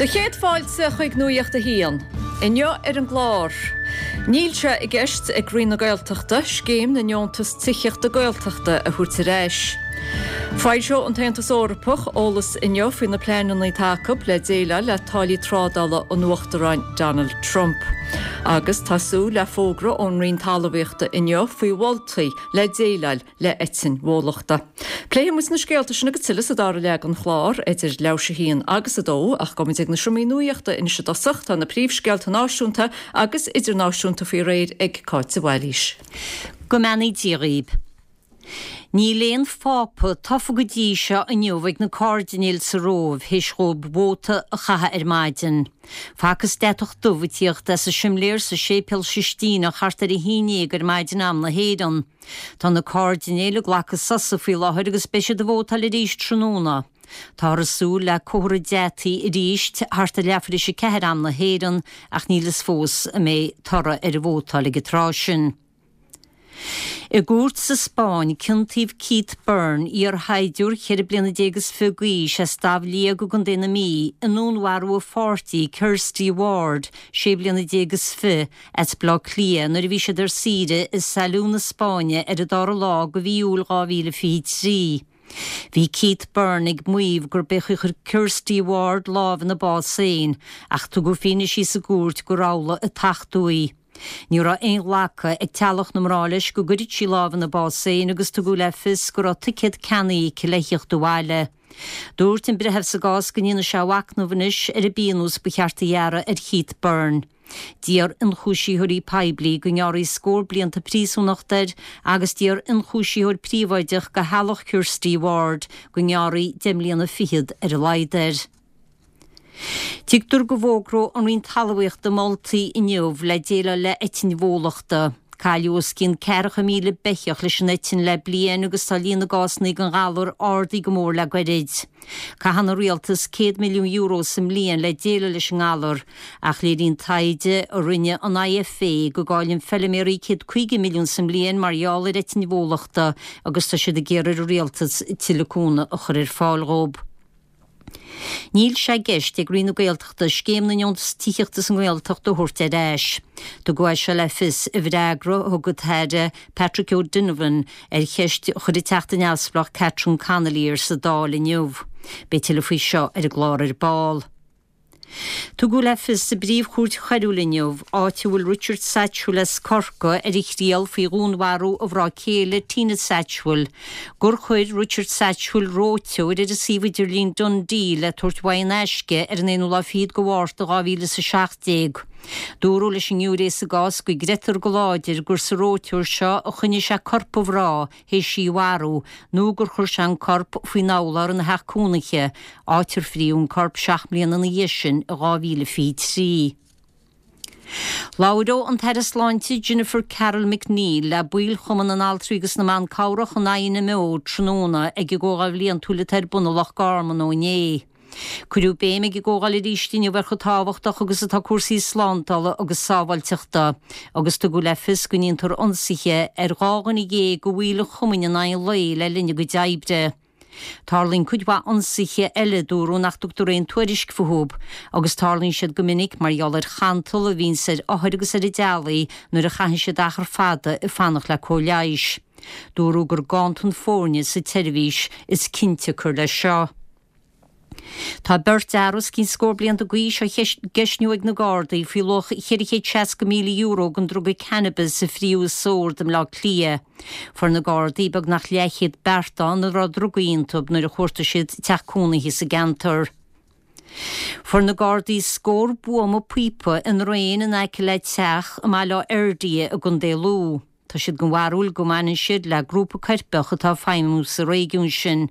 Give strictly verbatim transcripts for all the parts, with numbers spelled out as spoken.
Do chéad fáilte chuig Nuacht a hAon. Inniu ar an gclár. Níl sé i gceist ag Roinn na Gaeltachta scéim na ndeontas tithíochta Gaeltachta a thabhairt ar ais. Foilseoidh an tAontas Eorpach eolas inniu faoi na pleananna atá acu le déileáil le táillí trádála an Uachtaráin Donald Trump. Agus tá súil le fógra ón Roinn Talmhaíochta inniu faoi mholtaí le déileáil le eitinn bhólachta. Pléifidh muid na scéalta sin agus tuilleadh sa dara leath den chlár idir leathuair théis a haon agus a dó ach gabhfaimid ag na seomraí nuachta anois i dtosach tá na príomhscéalta náisiúnta agus idirnáisiúnta faoi réir ag Cáit de Bhailís. Go mbeannaí Dia dhaoibh. Níl aon phápa tofa go dtí seo inniu ag na cairdinéil sa Róimh théis dóibh vóta a chaitheamh ar maidin. Facthas deatach dubh ag tíocht as an simléar sa séipéal Sistíneach thart ar a haon déag ar maidin am na hÉireann. Tá na cairdinéil ag glacadh sosa faoi láthair agus beidh siad ag vótáil arís tráthnóna. Táthar ag súil le comhartha deataí arís thart ar leathuair théis a ceathair am na hÉireann ach níl fhios fós an mbeidh toradh ar an vótáil ag an tráth sin. I gcúirt sa Spáinn ciontaíodh Keith Byrne iarshaighdiúir ceithre bliana déag is fiche d'aois as Damh Liag i gContae na Mí i ndúnmharú a pháirtí Kirsty Ward sé bliana déag is fiche as Baile Átha Cliath nuair a bhí siad ar saoire i Salou na Spáinne ar an dara lá de mhí Iúil dhá mhíle fiche trí. Bhí Keith Byrne ag maíomh gurb é a chuir Kirsty Ward lámh ina bás féin ach tugadh fianaise sa gcúirt gur amhlaidh a tachtadh í. Ní raibh aon ghlacadh ag teaghlach na mná leis go gcuirfeadh sí lámh ina bás féin agus tugadh le fios go raibh ticéad ceannaithe aici le theacht abhaile. Dúirt an breitheamh sa gcás go ndéanfaidh sé a mhachnamh anois ar an bpionós ba cheart a ghearradh ar Keith Byrne. D'iarr ionchúisitheoirí poiblí go ngearrfaí scór blianta príosúnachta air agus d'iarr ionchúisitheoir príobháideach do theaghlach Kirsty Ward go ngearrfaí deich mbliana fichead ar a laghad air. Tuigtear go bhfógróidh an Roinn Talmhaíochta moltaí inniu le déileáil le eitinn bhólachta. Cailleadh os cionn ceathracha míle beithíoch leis an eitinn le bliain agus tá líon na gcásanna den ghalar ardaithe go mór le gairid. Caitheann an rialtas céad milliún euro sa mbliain le déileáil leis an ngalar, ach léiríonn taighde a rinne an IFA go gcailleann feilméaraí céad caoga milliún sa mbliain mar gheall ar eitinn bhólachta agus tá siad ag iarraidh ar an rialtas tuilleadh cúnamh a chur ar fáil dhóibh. Níl sé i gceist ag Roinn na Gaeltachta scéim na ndeontas tithíochta sa nGaeltacht a thabhairt ar ais. Tugadh é seo le fios i bhfreagra a thug an tAire Patrick O'Donovan ar cheist a chuir an Teachta Neamhspleách Catherine Connolly air sa Dáil inniu. Beidh tuilleadh faoi seo ar an gclár ar ball. Tugadh le fios sa bPríomh-Chúirt Choiriúil inniu, áit a bhfuil Richard Satchwell as Corcaigh ar a thriail faoi dhúnmharú a mhná céile Tina Satchwell, gur chuir Richard Satchwell reoiteoir ar an suíomh idirlín DoneDeal le tabhairt uaidh in aisce ar an aonú lá fichead de Mhárta dhá mhíle is a seacht déag. Dúradh leis an ngiúiré sa gcás go gcreidtear go láidir gur sa reoiteoir seo a choinnigh sé corp a mhná théis í a mharú nó gur chuir sé an corp faoin urlár ina theach cónaithe, áit ar fríodh an corp seacht mbliana ina dhiaidh sin i dhá mhíle fiche trí. Labhróidh an tAire Sláinte Jennifer Carroll MacNeill le baill Chumann na nAltraí agus na mBan Cabhrach an INMO tráthnóna ag an gcomhdháil bhliantúil atá ar bun i Loch Garman ó inné. Cuireadh béim ag an gcomhdháil arís inniu ar chomh tábhachtach agus atá cúrsaí slándála agus sábháilteachta, agus tugadh le fios go ndéantar ionsaithe ar dhá dhuine dhéag de bhaill an chumainn in aghaidh an lae le linn a gcuid oibre. Tarlaíonn cuid mhaith ionsaithe eile dúradh nach dtugtar aon tuairisc fúthu, agus tarlaíonn siad go minic mar gheall ar chantal a bhíonns ar othair agus ar a dteaghlaigh nuair a chaitheann siad achar fada ag fanacht le cóir leighis. Dúradh gur ganntan foirne sa tseirbhís is cionsiocair leis seo. Tá beirt fhear os cionn scór blianta d'aois á gceistniú ag na Gardaí faoi luach cheithre chéad seasca míle euro den druga cannabis a fríodh i Sord i mBleá Cliath. Fuair na Gardaí beagnach leathchéad beartán a raibh drugaí iontu nuair a chuartaigh siad teach cónaithe sa gceantar. Fuair na Gardaí scór buama píopa i ndraein in aice le teach i mBaile Átha Fhirdhia i gContae Lú. Tá siad den bharúil go mbaineann siad le grúpa coirpeach atá ag feidhmiú sa réigiún sin.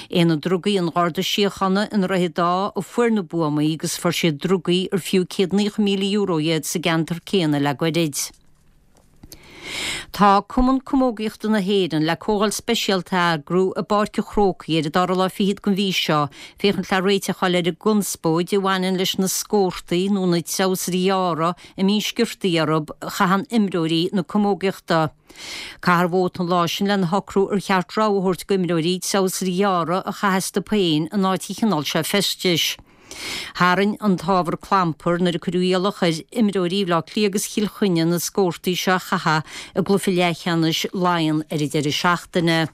Aonad Drugaí an Gharda Síochána i nDroichead Átha a fuair na buamaí agus fuair siad drugaí ar fiú céad naocha míle euro iad sa gceantar céanna le goirid. Tá Cumann Camógaíochta na hÉireann le comhdháil speisialta a eagrú i bPáirc an Chrócaigh ar an dara lá fichead den mhí seo féachaint le réiteach a fháil ar an gconspóid a bhaineann leis na scórtaí nó na treabhsairí ghearra a mbíonn sciortaí orthu a chaitheann imreoirí na camógaíochta. Caithfear vóta an lá sin lena shocrú ar cheart rogha a thabhairt d'imreoirí treabhsairí gearra a chaitheamh astu féin in áit an chineál seo feistis. Tharraing an t-ábhar clampar nuair a cuireadh iallach ar imreoirí Bhaile Átha Cliath agus Chill Chainnigh na scórtaí seo a chaitheamh i gcluiche leathcheannais Laighean ar an deireadh seachtaine.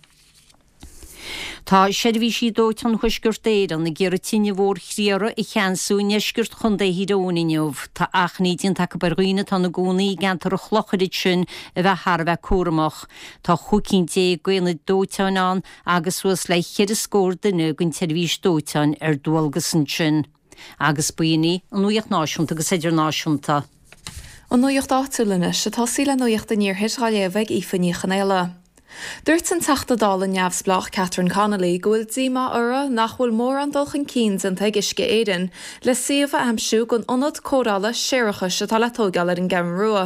Tá seirbhísí dóiteáin Thuaisceart Éireann ag iarraidh tine mhór chriathraigh a cheansú i ndeisceart Chontae Thír Eoghain inniu. Tá achainí déanta acu ar dhaoine atá ina gcónaí i gceantar an Chlochair ansin a bheith thar a bheith cúramach. Tá chúig cinn déag d'aonaid dóiteáin ann agus suas le ceithre scór duine den tseirbhís dóiteáin ar dualgas ansin. Agus b'in í an nuacht náisiúnta agus idirnáisiúnta. An nuacht áitiúil anois ag tosaí le Nuacht an Iarthair á léamh ag Aoife Ní Chonaola. Dúirt an Teachta Dála neamhspleách Catherine Connolly go bhfuil díomá uirthi nach bhfuil mórán dul chun cinn déanta ag Uisce Éireann le suíomh a aimsiú don ionad cóireála séarachais atá le tógáil ar an gCeathrú Rua.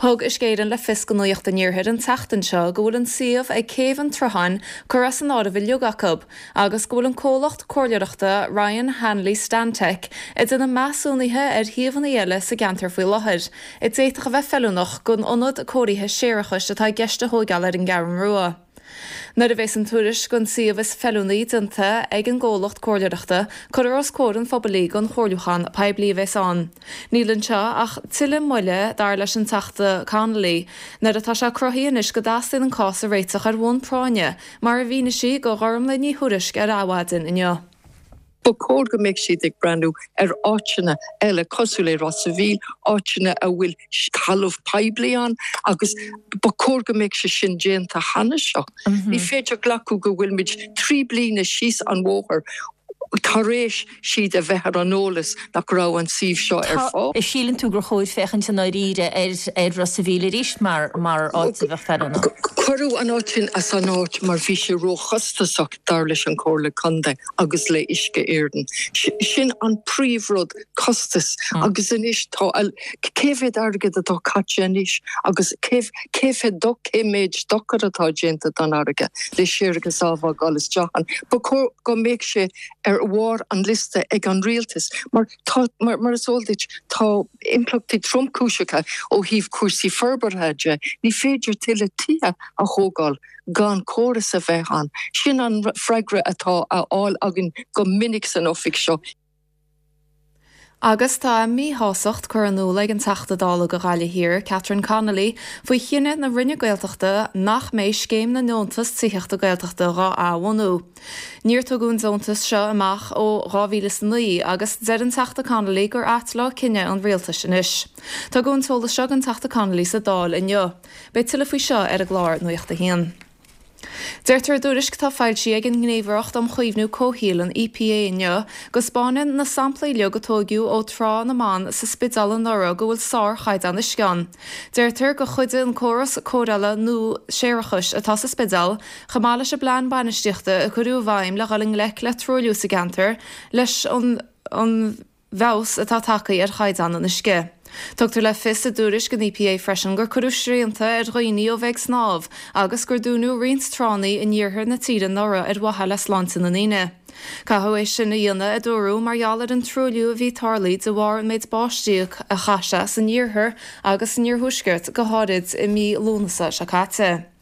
Thug Uisce Éireann le fios do Nuacht an Iarthair an tseachtain seo go bhfuil an suíomh ag Céibh an tSrutháin curtha as an áireamh uilig acu agus go bhfuil an comhlacht comhairleoireachta Ryan Hanley Stantec ag déanamh measúnuithe ar shuíomhanna eile sa gceantar faoi láthair, a d'fhéadfadh a bheith feiliúnach don ionad cóirithe séarachais atá i gceist a thógáil ar an gCeathrú Rua. Nuair a bheas an tuairisc don suíomh is feiliúnaí déanta ag an gcomhlacht comhairleoireachta, cuirfear os comhair an phobail í don chomhairliúchán poiblí a bheas ann. Níl anseo ach tuilleadh moille dar leis an Teachta Connolly, nuair atá sé cruthaithe anois go dteastaíonn an cás a réiteach ar bhonn práinne, mar a mhínigh sí do Ghormlaith Ní Thuairisg ar Adhmhaidin inniu. Ba chóir go mbeadh siad ag breathnú ar áiteanna eile cosúil le Ros an Mhíl, áiteanna a bhfuil talamh poiblí ann agus ba chóir go mbeadh sé sin déanta cheana seo. Ní féidir glacadh go bhfuil muid trí bliana síos an bóthar tar éis siad a bheith ar an eolas nach raibh an suíomh seo ar fáil. An síleann tú gur chóir féachaint i ndáiríre ar ar Ros an Mhíl arís mar mar áit a bheadh feiliúnach. Cuireadh an áit sin as an áit mar bhí sé róchostasach dar leis an Chomhairle Contae agus le Uisce Éireann. Sin an príomhrud costas agus anois tá cé mhéad airgead atá caite anois agus cé cé do cé méid dochar atá déanta don fharraige le séarachas á fhágáil isteach ann. Ba chóir go mbeadh sé ar bharr an liosta ag an rialtas mar tá mar, mar is eol duit tá impleachtaí tromchúiseacha ó thaobh cúrsaí forbartha de, ní féidir tuilleadh tithe a thógáil gan córas a bheith ann. Sin an freagra atá á fháil againn go minic san oifig seo. Agus tá míshástacht curtha in iúl ag an Teachta Dála do Ghaillimh Thiar, Catherine Connolly, faoi chinneadh na Roinne Gaeltachta nach mbeidh scéim na ndeontas tithíochta Gaeltachta á athbhunú. Níor tugadh an deontas seo amach ó dhá mhíle is a naoi agus deir an Teachta Connolly gur ait leo cinneadh an rialtais anois. Tugadh an t-eolas seo don Teachta Connolly sa Dáil inniu. Beidh tuilleadh faoi seo ar an gclár Nuacht a hAon. Deirtear i dtuairisc atá foilsithe ag an nGníomhaireacht um Chaomhnú Comhshaoil an EPA inniu go spáineann na samplaí uilig a tógadh ó Trá na mBan sa Spidéal anuraidh go bhfuil sárchaighdeán uisce ann. Deirtear gur chuidigh an córas cóireála nua séarachais atá sa Spidéal chomh maith leis an bplean bainistíochta a cuireadh i bhfeidhm le dhul i ngleic le truailliú sa gceantar leis an an bhfeabhas atá tagtha ar chaighdeán an uisce. Tugtar le fios i dtuairisc an EPA freisin gur cuireadh srianta ar dhaoine ó bheith ag snámh agus gur dúnadh roinnt tránna in iarthar na tíre anuraidh ar mhaithe le sláinte na ndaoine. Caitheadh é sin a dhéanamh a dúradh mar gheall ar an truailliú a bhí tarlaithe de bharr an méid báistí a chaith sé san iarthar agus san iarthuaisceart go háirid i mí Lúnasa seo caite.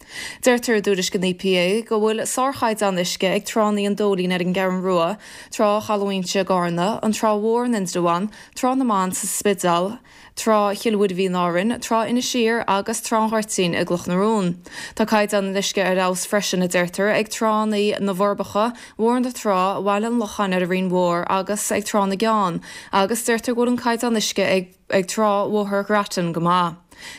Deirtear i dtuairisc an EPA go bhfuil sárchaighdeán uisce ag tránna an Dóilín ar an gCeathrú Rua, Trá Chaladh Inse i gCarna, an Trá Mhór in Indreabhán, Trá na mBan sa Spidéal, Trá Chill Mhuirbhigh in Árainn, Trá Inis Oírr agus Trá an Ghoirtín i gCloch na Rón. Tá caighdeán an uisce ar fheabhas freisin a deirtear ag tránna na bhForbacha, Bhóthar na Trá, Bhaile an Locháin ar an Rinn Mhór agus ag Trá na gCeann, agus deirtear go bhfuil an caighdeán uisce ag ag Trá Bhóthar Grattan go maith.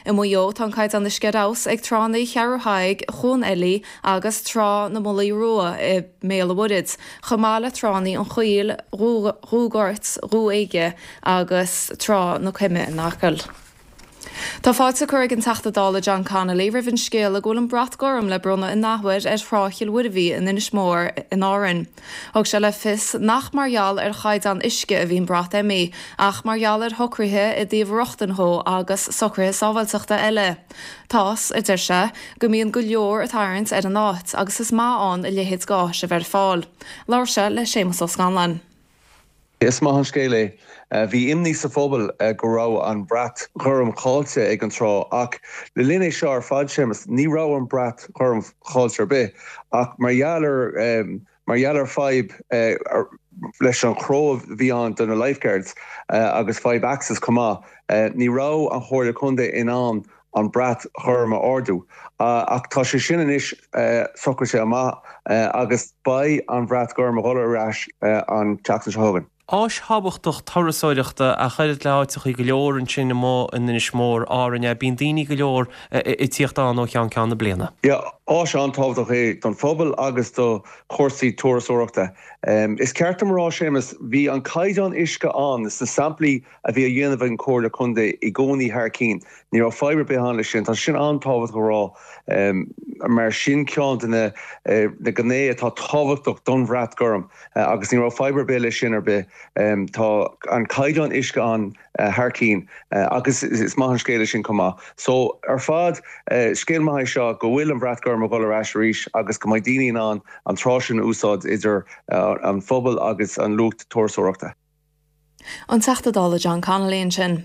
I Maigh Eo tá an caighdeán uisce ar fheabhas ag tránna Cheathrú Thaidhg, Chuan Eilí agus Trá na Mullaí Rua i mBéal an Mhuirthead, chomh maith le tránna an Choill, Dhúghort, Dhú Éige agus Trá na Coime in Acaill. Tá fáilte curtha ag an Teachta Dála John Connolly roimh an scéala go bhfuil an brat gorm le bronnadh in athuair ar Thrá Chill Mhuirbhigh in Inis Mór in Árainn. Thug sé le fios nach mar gheall ar chaighdeán uisce a bhí an brat imithe, ach mar gheall ar shocruithe i dtaobh rochtain dhó agus socruithe sábháilteachta eile. Tá's, a deir sé, go mbíonn go leor ag tarraingt ar an áit agus is maith ann a leithéid d'áis a bheith ar fáil. Labhair sé le Séamus Ó Scanláin. Is maith an scéal é. Bhí imní sa phobal go raibh an brat gorm caillte ag an trá ach le linn é seo ar fad Séamus ní raibh an brat gorm caillte ar bith ach mar gheall ar mar gheall ar fadhb leis an chró a bhí ann do na lifeguards agus fadhb access chomh maith, ní raibh an Chomhairle Contae in ann an brat ghorm a ardú. Ach tá sé sin anois socraithe amach agus beidh an bhrat gorm ag dul ar ais an tseachtain seo chugainn. Áis thábhachtach turasóireachta ach oiread le háiteachaí go leor ansin amuigh in Inis Mór, Árainn, bíonn daoine go leor ag tíocht ann ó cheann ceann na bliana. Yeah, áis an-tábhachtach é don phobal agus do chúrsaí turasóireachta. Is ceart dom a rá, Séamus, bhí an caighdeán uisce ann sna samplaí a bhí á dhéanamh ag an Chomhairle Contae i gcónaí thar cinn. Ní raibh fadhb ar bith ann leis sin. Tá sin an-tábhachtach a rá mar sin ceann de na na gnéithe atá tábhachtach don bhrat gorm agus ní raibh fadhb ar bith leis sin ar bith. Tá an caighdeán uisce ann thar cinn agus is maith an scéal é sin chomh maith. So ar fad, scéal maith é seo go bhfuil an bhrat gorm ag dul ar ais arís agus go mbeidh daoine in ann an trá sin a úsáid idir an phobal agus an lucht turasóireachta. An Teachta Dála John Connolly ansin.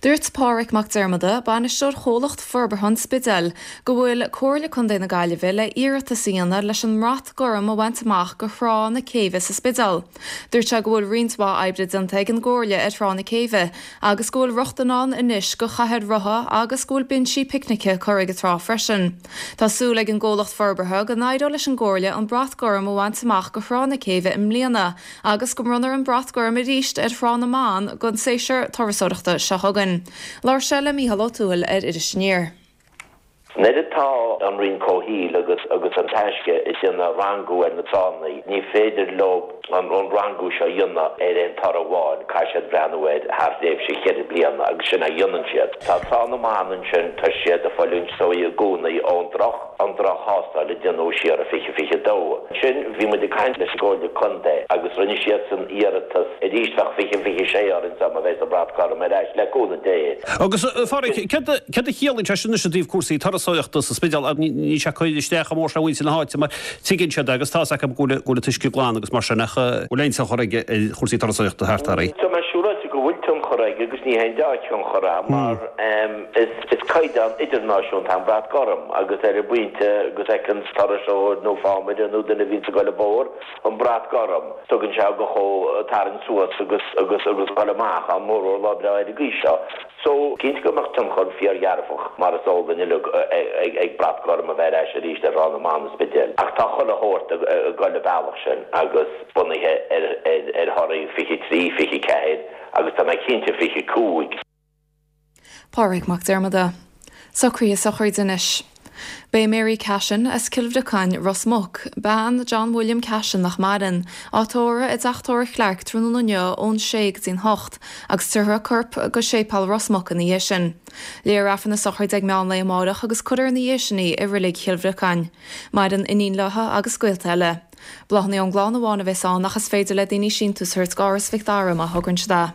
Dúirt Pádraig Mac Diarmada, bainisteoir Chomhlacht Forbartha an Spidéil, go bhfuil Comhairle Contae na Gaillimhe le iarratas a dhéanamh leis an mBrat Gorm a bhaint amach go Thrá na Céibhe sa Spidéal. Dúirt sé go bhfuil roinnt mhaith oibre déanta ag an gComhairle ar Thrá na Céibhe agus go bhfuil rochtain ann anois go chathaoir rotha agus go bhfuil binsí picnice curtha ag an trá freisin. Tá súil ag an gcomhlacht forbartha go n-éireoidh leis an gComhairle an Brat Gorm a bhaint amach go Thrá na Céibhe i mbliana agus go mbronnfar an Brat Gorm arís ar Thrá na mBan don séasúr turasóireachta seo chugainn. Labhair sé le Mícheál Ó Tuathail ar Iris Aniar. Nuair atá an Roinn Comhshaoil agus agus an Taisce ag déanamh rangú ar na tránna, ní féidir leo an rangú seo a dhéanamh ar aon toradh amháin, caithfidh siad breathnú air thar thréimhse cheithre bliana agus sin a dhéanann siad. Tá Trá na mBan ansin, tá siad ag fulaingt is dóigh i gcónaí ón droch an droch-thástáil a déanadh siar i fiche fiche dó. Ansin bhí muid ag caint leis an gComhairle Contae agus rinne siadsan iarratas arís bheadh fiche fiche sé orainn dá mba bheadh an Brat Gorm ar ais, le cúnamh Dé. Agus, a Phádraig, céard a chiallaíonn sé sin anois i dtaobh cúrsaí turasóireachta sa Spidéal? Níl sé ag cur isteach chomh mór sin ar mhuintir na háite mar tuigeann siad agus tá's acu go bhfuil an t-uisce glan agus mar sin ach an bhfuil aon tionchar aige ar chúrsaí turasóireachta thart air? Tá mé siúráilte go bhfuil tionchar aige agus ní haon dea-thionchar é mar is caighdeán idirnáisiúnta an Brat Gorm agus ar an bpointe go bhfeiceann turasóir nó fámaire nó duine a bhíonns ag dul an bóthar an Brat Gorm tugann sé go chomh tarraingt suas agus agus agus dul amach an mórmhór lá breá ar an gcaoi seo. So, cinnte go mbeadh tionchar fíordhearfach, mar is eol duinn uilig, ag Brat Gorm a bheith ar ais arís ar Thrá na mBan an Spidéil. Ach tá chuile shórt ag dul an bealach sin agus bunaithe ar thorthaí fiche trí, fiche ceathair agus tá mé cinnte fiche cúig. Pádraig Mac Diarmada. Socruithe sochraide anois. Beidh Mary Cashin as Cill Bhriocáin, Ros Muc, bean John William Cashin nach maireann, á tórramh i dTeach Tórraimh Chlarke tráthnóna inniu ón sé go dtí'n hocht agus tabharfar a corp go Séipéal Ros Muc ina dhiaidh sin. Léifear Aifreann na sochraide ag meán lae amárach agus cuirfear ina dhiaidh sin í i Reilig Chill Bhriocáin. Maireann iníon léi agus gaolta eile. Bláthanna ón gclann amháin a bheas ann ach is féidir le daoine síntiús a thabhairt d'Áras Mhic Dara má thograíonn siad é.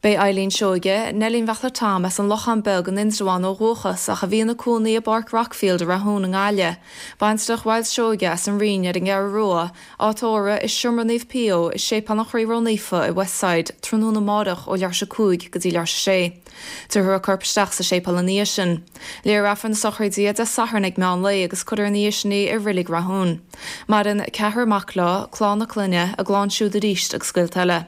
Beidh Eileen Seoige, Neilín Bheachla Tom as an Lochán Beag in Indreabhán ó dhúchas ach a bhí ina cónaí i bPáirc Rockfield i Rathún i nGaillimh, baintreach Mhyles Seoige as an Rinn ar an gCeathrú Rua, á tórramh i Seomra Naomh Pio i Séipéal an Chroí Ró-Naofa i Westside tráthnóna amárach ó leathuair tar éis a cúig go dtí leathuair tar éis a sé. Tabharfar a corp isteach sa séipéal ina dhiaidh sin. Léifear Aifreann na sochraide Dé Sathairn ag meán lae agus cuirfear ina dhiaidh sin í i Reilig Rathún. Maireann ceathrar mac leo, clann a clainne, a gclann siúd arís agus gaolta eile.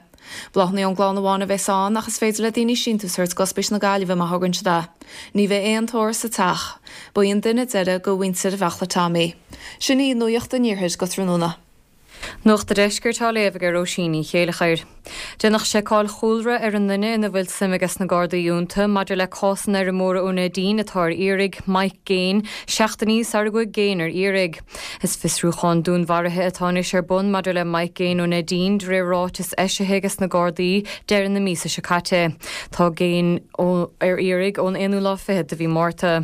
Bláthanna ón gclann amháin a bheas ann ach is féidir le daoine síntiús a thabhairt d'Ospís na Gaillimhe má thograíonn siad é. Ní bheidh aon tórramh sa teach. Ba í an duine deiridh de mhuintir Bheachla Tom í. Sin í nuacht an iarthair go tráthnóna. Nuacht an Deiscirt á léamh ag Róisín Ní Chéilleachair. Déanadh seiceáil chúlra ar an nduine ina bhfuil suim ages na Gardaí iontu maidir le cás an fheirmeora ó Neidín atá ar iarraidh, Mike Gaine, seachtainí sara gcuaigh Gaine ar iarraidh. Is fiosrúchán dúnmharaithe atá anois ar bun maidir le Mike Gaine ó Neidín de réir ráiteas eisithe ages na Gardaí deireadh na míosa seo caite. Tá Gaine ar iarraidh ón aonú lá fichead de mhí Márta.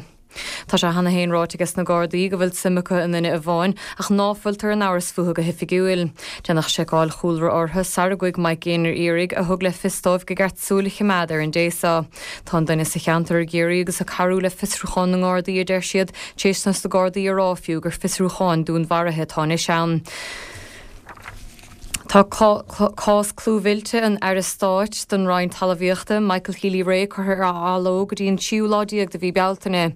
Tá sé cheana féin ráite ages na Gardaí go bhfuil suim acu i nduine amháin ach ná fuiltear in amhras fúthu go hoifigiúil. Déanadh seiceáil chúlra orthu sara gcuaigh Mike Gaine ar iarraidh a thug le fios dóibh go gceart súil a choimeád ar an dté seo. Tá an duine sa cheantar ag iarraidh agus ag cabhrú le fiosrúchán na nGardaí a deir siad, tar éis dos na Gardaí a rá fiú gur fiosrúchán dúnmharaithe atá anois ann. Tá cás clúmhillte an Aire Stáit don Roinn Talmhaíochta, Michael Healy-Rae curtha ar athló go dtí an tríú lá déag de mhí Bealtaine.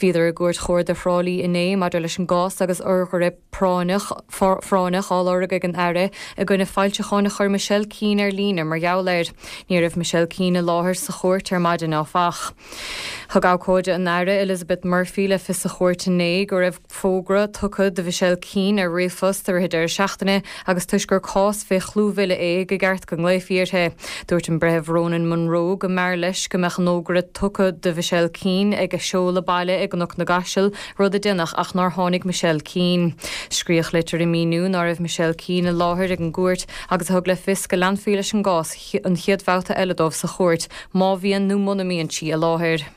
Bhíodar i gCúirt Chuarda Thrá Lí inné maidir leis an gcás agus urghaire práinneach á lorg ag an Aire i gcoinne foilseacháin a chuir Michelle Keane ar líne mar gheall air. Ní raibh Michelle Keane i láthair sa chúirt ar maidin áfach. Thug abhcóide an Aire, Elizabeth Murphy le fios sa chúirt inné go raibh fógra tugtha do Mhichelle Keane ar ríomhphost i rith an deireadh seachtaine agus toisc gur cás fé chlúmhilleadh é go gceart go nglaofaí uirthi. Dúirt an Breitheamh Ronan Munro go mb'fhearr leis go mbeadh an fhógra tugtha do Mhichelle Keane ag a seoladh baile i gCnoc na gCaiseal, rud a deineadh ach nár tháinig Michelle Keane. Scríodh litir ag míniú ná raibh Michelle Keane i láthair ag an gcúirt agus a thug le fios go leanfaí leis an gcás an chéad bhabhta eile dóibh sa chúirt má bhíonn nó muna mbíonn sí i láthair.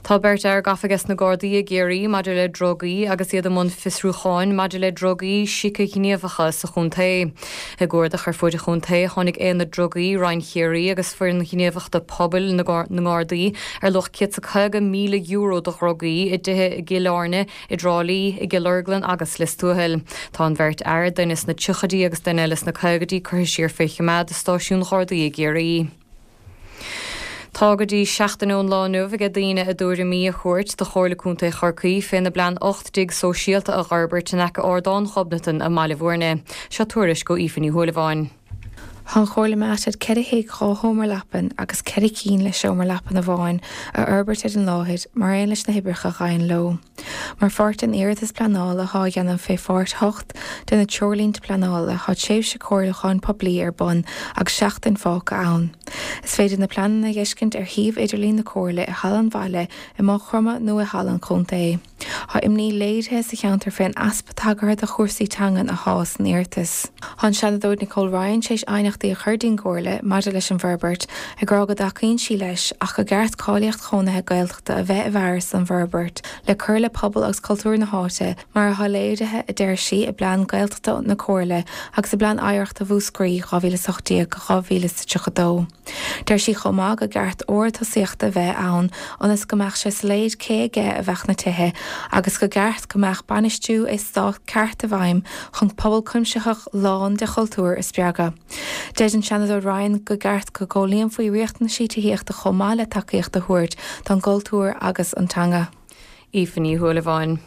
Tá beirt fhear gafa ages na Gardaí i gCiarraí maidir le drugaí agus iad i mbun fiosrúcháin maidir le drugaí sícighníomhacha sa chontae. I gcuardach ar fuaid an chontae tháinig Aonad Drugaí Roinn Chiarraí agus Foireann Ghníomhachta Pobail na nGardaí ar luach céad 's a caoga míle euro de dhrugaí i dtithe i gCill Airne, i dTrá Lí, i gCill Orglan agus Lios Tuathail. Tá an bheirt fhear, duine sna tríochaidí agus duine eile sna caogaidí, curtha siar fé choimeád i stáisiún Ghardaí i gCiarraí. Tá go dtí seachtain ón lá inniu aige daoine a dtuairimí a thabhairt do Chomhairle Contae Chorcaí féna bplean ocht dtigh sóisialta a dh'fhorbairt in aice Ardán Ghobnatan i mBaile Bhúirne. Seo tuairisc ó Aoife Ní Shúilleabháin. Tá an Chomhairle meáite ceithre thigh dhá sheomra leapan agus ceithre cinn le seomra leapan amháin a fhorbairt ar an láthair mar aon leis na hoibreacha a ghabhann leo. Mar pháirt den iarratas pleanála athá á dhéanamh fé Pháirt hocht de na Treoirlínte Pleanála thá tréimhse comhairliúcháin poiblí ar bun agus seachtain fágtha ann. Is féidir na pleananna a dh'fheiscint ar shuíomh idirlín na Comhairle i Halla an Bhaile i Maigh Chromtha nó i Halla an Chontae. Thá imní léirithe sa cheantar fén easpa tagartha do chúrsaí teangan athá san iarratas. Thá an Seanadóir Nicole Ryan tréis aighneachtaí a chur dtí'n gComhairle maidir leis an bhforbairt, ag rá go dtacaíonn sí leis ach go gceart cáilíocht chónaithe Gaeltachta a bheith i bhfearas don bhforbairt le cur le pobal agus cultúr na háite mar athá léirithe, a deir sí, i bPlean Gaeltachta na Comhairle agus i bPlean Oidhreachta Mhúscraí dhá mhíle is a hocht déag go dhá mhíle is tríocha a dó. Deir sí chomh maith go gceart ord tosaíochta a bheith ann ionas go mbeadh sé soiléir cé aige a bheadh na tithe agus go gceart go mbeadh bainistiú eastát ceart i bhfeidhm chun pobal cuimsitheach lán de chultúr a spreagadh. Deir an Seanadóir Ryan go gceart go gcomhlíonfaí riachtanaisí tithíochta chomh maith le tacaíocht a thabhairt don gcultúr agus an teanga. Aoife Ní Shúilleabháin.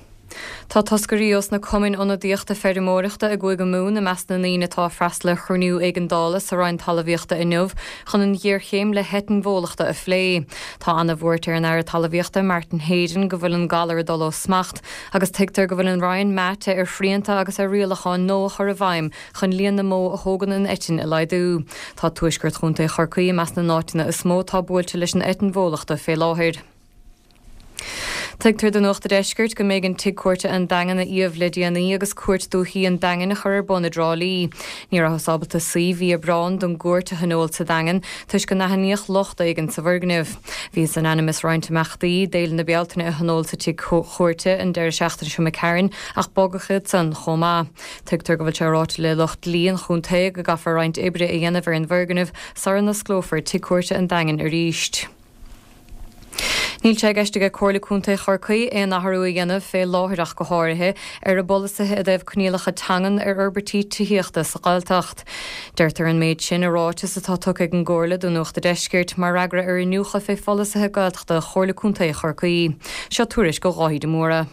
Tá toscairí ós na cumainn ionadaíochta feirmeoireachta i gCúige Mumhan i measc na ndaoine atá ag freastal ar chruinniú éigeandála sa Roinn Talmhaíochta inniu chun an ghéarchéim le heitinn bhólachta a phlé. Tá ana-bhuairt ar an Aire Talmhaíochta Martin Heydon go bhfuil an galar ag dul ó smacht agus tuigtear go bhfuil an Roinn meáite ar shrianta agus ar rialacháin nua a chur i bhfeidhm chun líon na mbó a thógann an eitinn a laghdú. Tá tuaisceart Chontae Chorcaí i measc na n-áiteanna is mó atá buailte leis an eitinn bhólachta fé láthair. Tuigtear do Nuacht a' Deiscirt go mb'éigean Tigh Cúirte an Daingin a iamh le déanaí agus Cúirt Dúichí an Daingin a chur ar bun i dTrá Lí. Ní rabhthas ábalta suí mhí Aibreáin don gcúirt a thionól sa Daingean toisc go n-aithníodh locht éigin sa bhfoirgneamh. Bhíothas in ainm is roinnt imeachtaí d'Fhéile na Bealtaine a thionól sa tigh chúirte an deireadh seachtaine seo imigh tharainn ach bogadh iad san chomh maith. Tuigtear go bhfuil sé ráite le lucht dlí an chontae go gcaithfear roinnt oibre a dhéanamh ar an bhfoirgneamh sara n-osclófar Tigh Cúirte an Daingin arís. Níl sé i gceist aige Comhairle Contae Chorcaí aon athrú a dhéanamh, fé láthair ach go háirithe, ar a bpolasaithe i dtaobh coinníollacha teangan ar fhorbairtí tithíochta sa Ghaeltacht. Deirtear an méid sin i ráiteas atá tugtha ag an gComhairle do Nuacht a' Deiscirt mar fhreagra ar iniúchadh fé pholasaithe Gaeltachta Chomhairle Contae Chorcaí. Seo tuairisc ó Dháithí de Mórdha.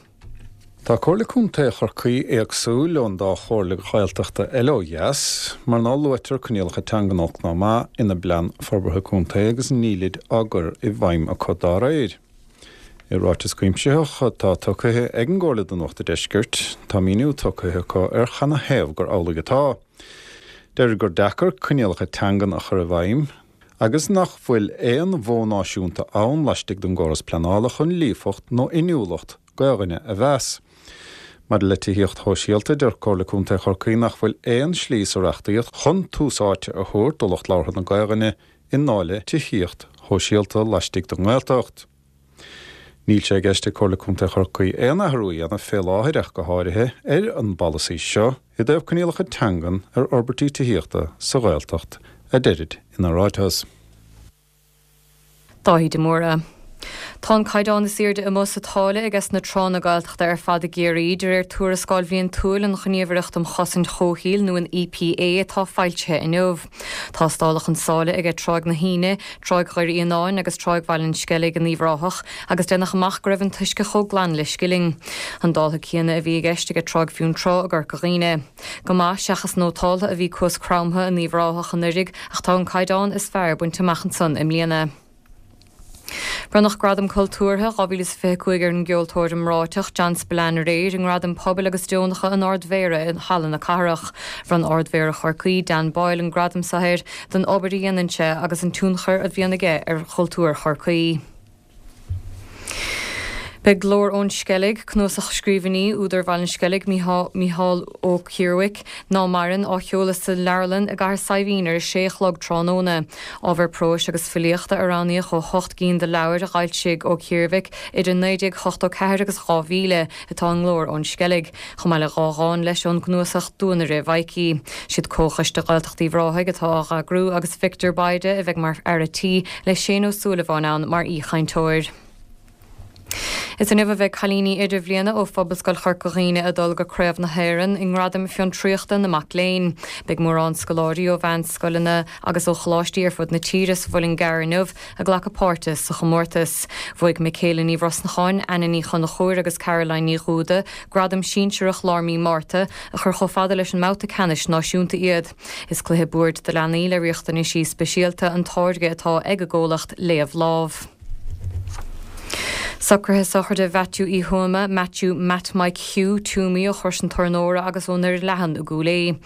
Tá Comhairle Contae Chorcaí éagsúil ón dá chomhairle Ghaeltachta eile ó dheas, mar ná luaitear coinníollacha teangan olc ná maith ina bplean forbartha contae agus nílid á gcur i bhfeidhm acu dá réir. I ráiteas cuimsitheach atá tugtha ag an gComhairle do Nuacht a' Deiscirt, tá míniú tugtha acu ar chanathaobh gur amhlaidh atá. Deirid gur deacair coinníollacha teangan a chur i bhfeidhm agus nach bhfuil aon mhodh náisiúnta ann laistigh den gcóras pleanála chun líofacht nó inniúlacht Gaelainne a mheas. Maidir le tithíocht shóisialta, deir Comhairle Contae Chorcaí nach bhfuil aon slí sa reachtaíocht chun tús áite a thabhairt do lucht labhartha na Gaelainne i ndáil le tithíocht shóisialta laistigh den nGaeltacht. Níl sé i gceist ag Comhairle Contae Chorcaí aon athrú a dhéanamh fé láthair ach go háirithe ar an bpolasaí seo i dtaobh coinníollacha teangan ar fhorbairtí tithíochta sa Ghaeltacht, a deirid ina ráiteas. Dáithí de Mórdha. Tá an caighdeán is airde amuigh sa tsáile aige sna tránna Gaeltachta ar fad i gCiarraí, de réir tuarascáil bhliantúil an Ghníomhaireacht um Chosaint Chomhshaoil nó an EPA atá foilsithe inniu. Tástáladh an sáile aige Tráigh na hAoine, Tráigh Dhoire Fhíonáin agus Tráigh Bhaile an Sceilg in Uíbh Ráthach agus déanadh amach go raibh an t-uisce chomh glan le scilling. An dáileadh céanna a bhí i gceist aige Tráigh Fionntrá i gCorca Dhuibhne. Go maith seachas nótáltha a bhí Cuas Cromtha in Uíbh Ráthach anuraidh ach tá an caighdeán is fearr bainte amach ansan i mbliana. Bronnadh Gradam Cultúrtha dhá mhíle is fiche a cúig ar an gceoltóir iomráiteach John Spillane aréir i nGradaim Pobail agus Deonacha an Ard-Mhéara i Halla na Cathrach. Bhronn Ard-Mhéara Chorcaí, Dan Boyle, an gradam seo air don obair a dhéanann sé agus an tionchar a bhíonn aige ar chultúr Chorcaí. Beidh Glór ón Sceilg, cnuasach scríbhinní údar Bhaile an Sceilg, Mícheál Ó Ciarmhaic, ná maireann, á sheoladh sa Leabharlann i gCathair Saidhbhín ar a sé a chlog tráthnóna. Ábhar próis agus filíochta a roghnaíodh ó hocht gcinn de leabhair a d'fhoilsigh Ó Ciarmhaic idir naoi déag ochtó ceathair agus dhá mhíle atá i nGlór ón Sceilg, chomh maith le dhá dhán leis ón gcnuasach Duanaire Mhaidhcí. Siad Comhchoiste Ghaeltacht Uíbh Ráthaigh atá á eagrú agus Victor Bayda a bheidh mar fhear a tí le Shane Ó Súilleabháin ann mar aoichainteoir. Is inniu a bheidh cailíní idirbhliana ó Phobalscoil Chorca Dhuibhne ag dul go Craobh na hÉireann i nGradaim Fiontraíochta na Mac Léinn. Beidh mórán scoláirí ó mheánscoileanna agus ó choláistí ar fud na tíre sa Mhuileann gCearr inniu ag glacadh páirte sa chomórtas. Bhuaigh Michaela Ní Bhrosnacháin, Anna Ní Chonchúir agus Caroline Ní Dhúda gradam sinsearach lár mí Márta, a chuir chomh fada leis an mbabhta ceannais náisiúnta iad. Is cluiche boird do leanaí le riachtanaisí speisialta an táirge atá ag an gcomhlacht Léamh Lámh. Socruithe sochraide Mhaitiú Uí Thuama, Matthew Matt Mike Hugh, Toomey ó Chrois an Tornóra agus ó nDoire Leathan i gCúil Aodha.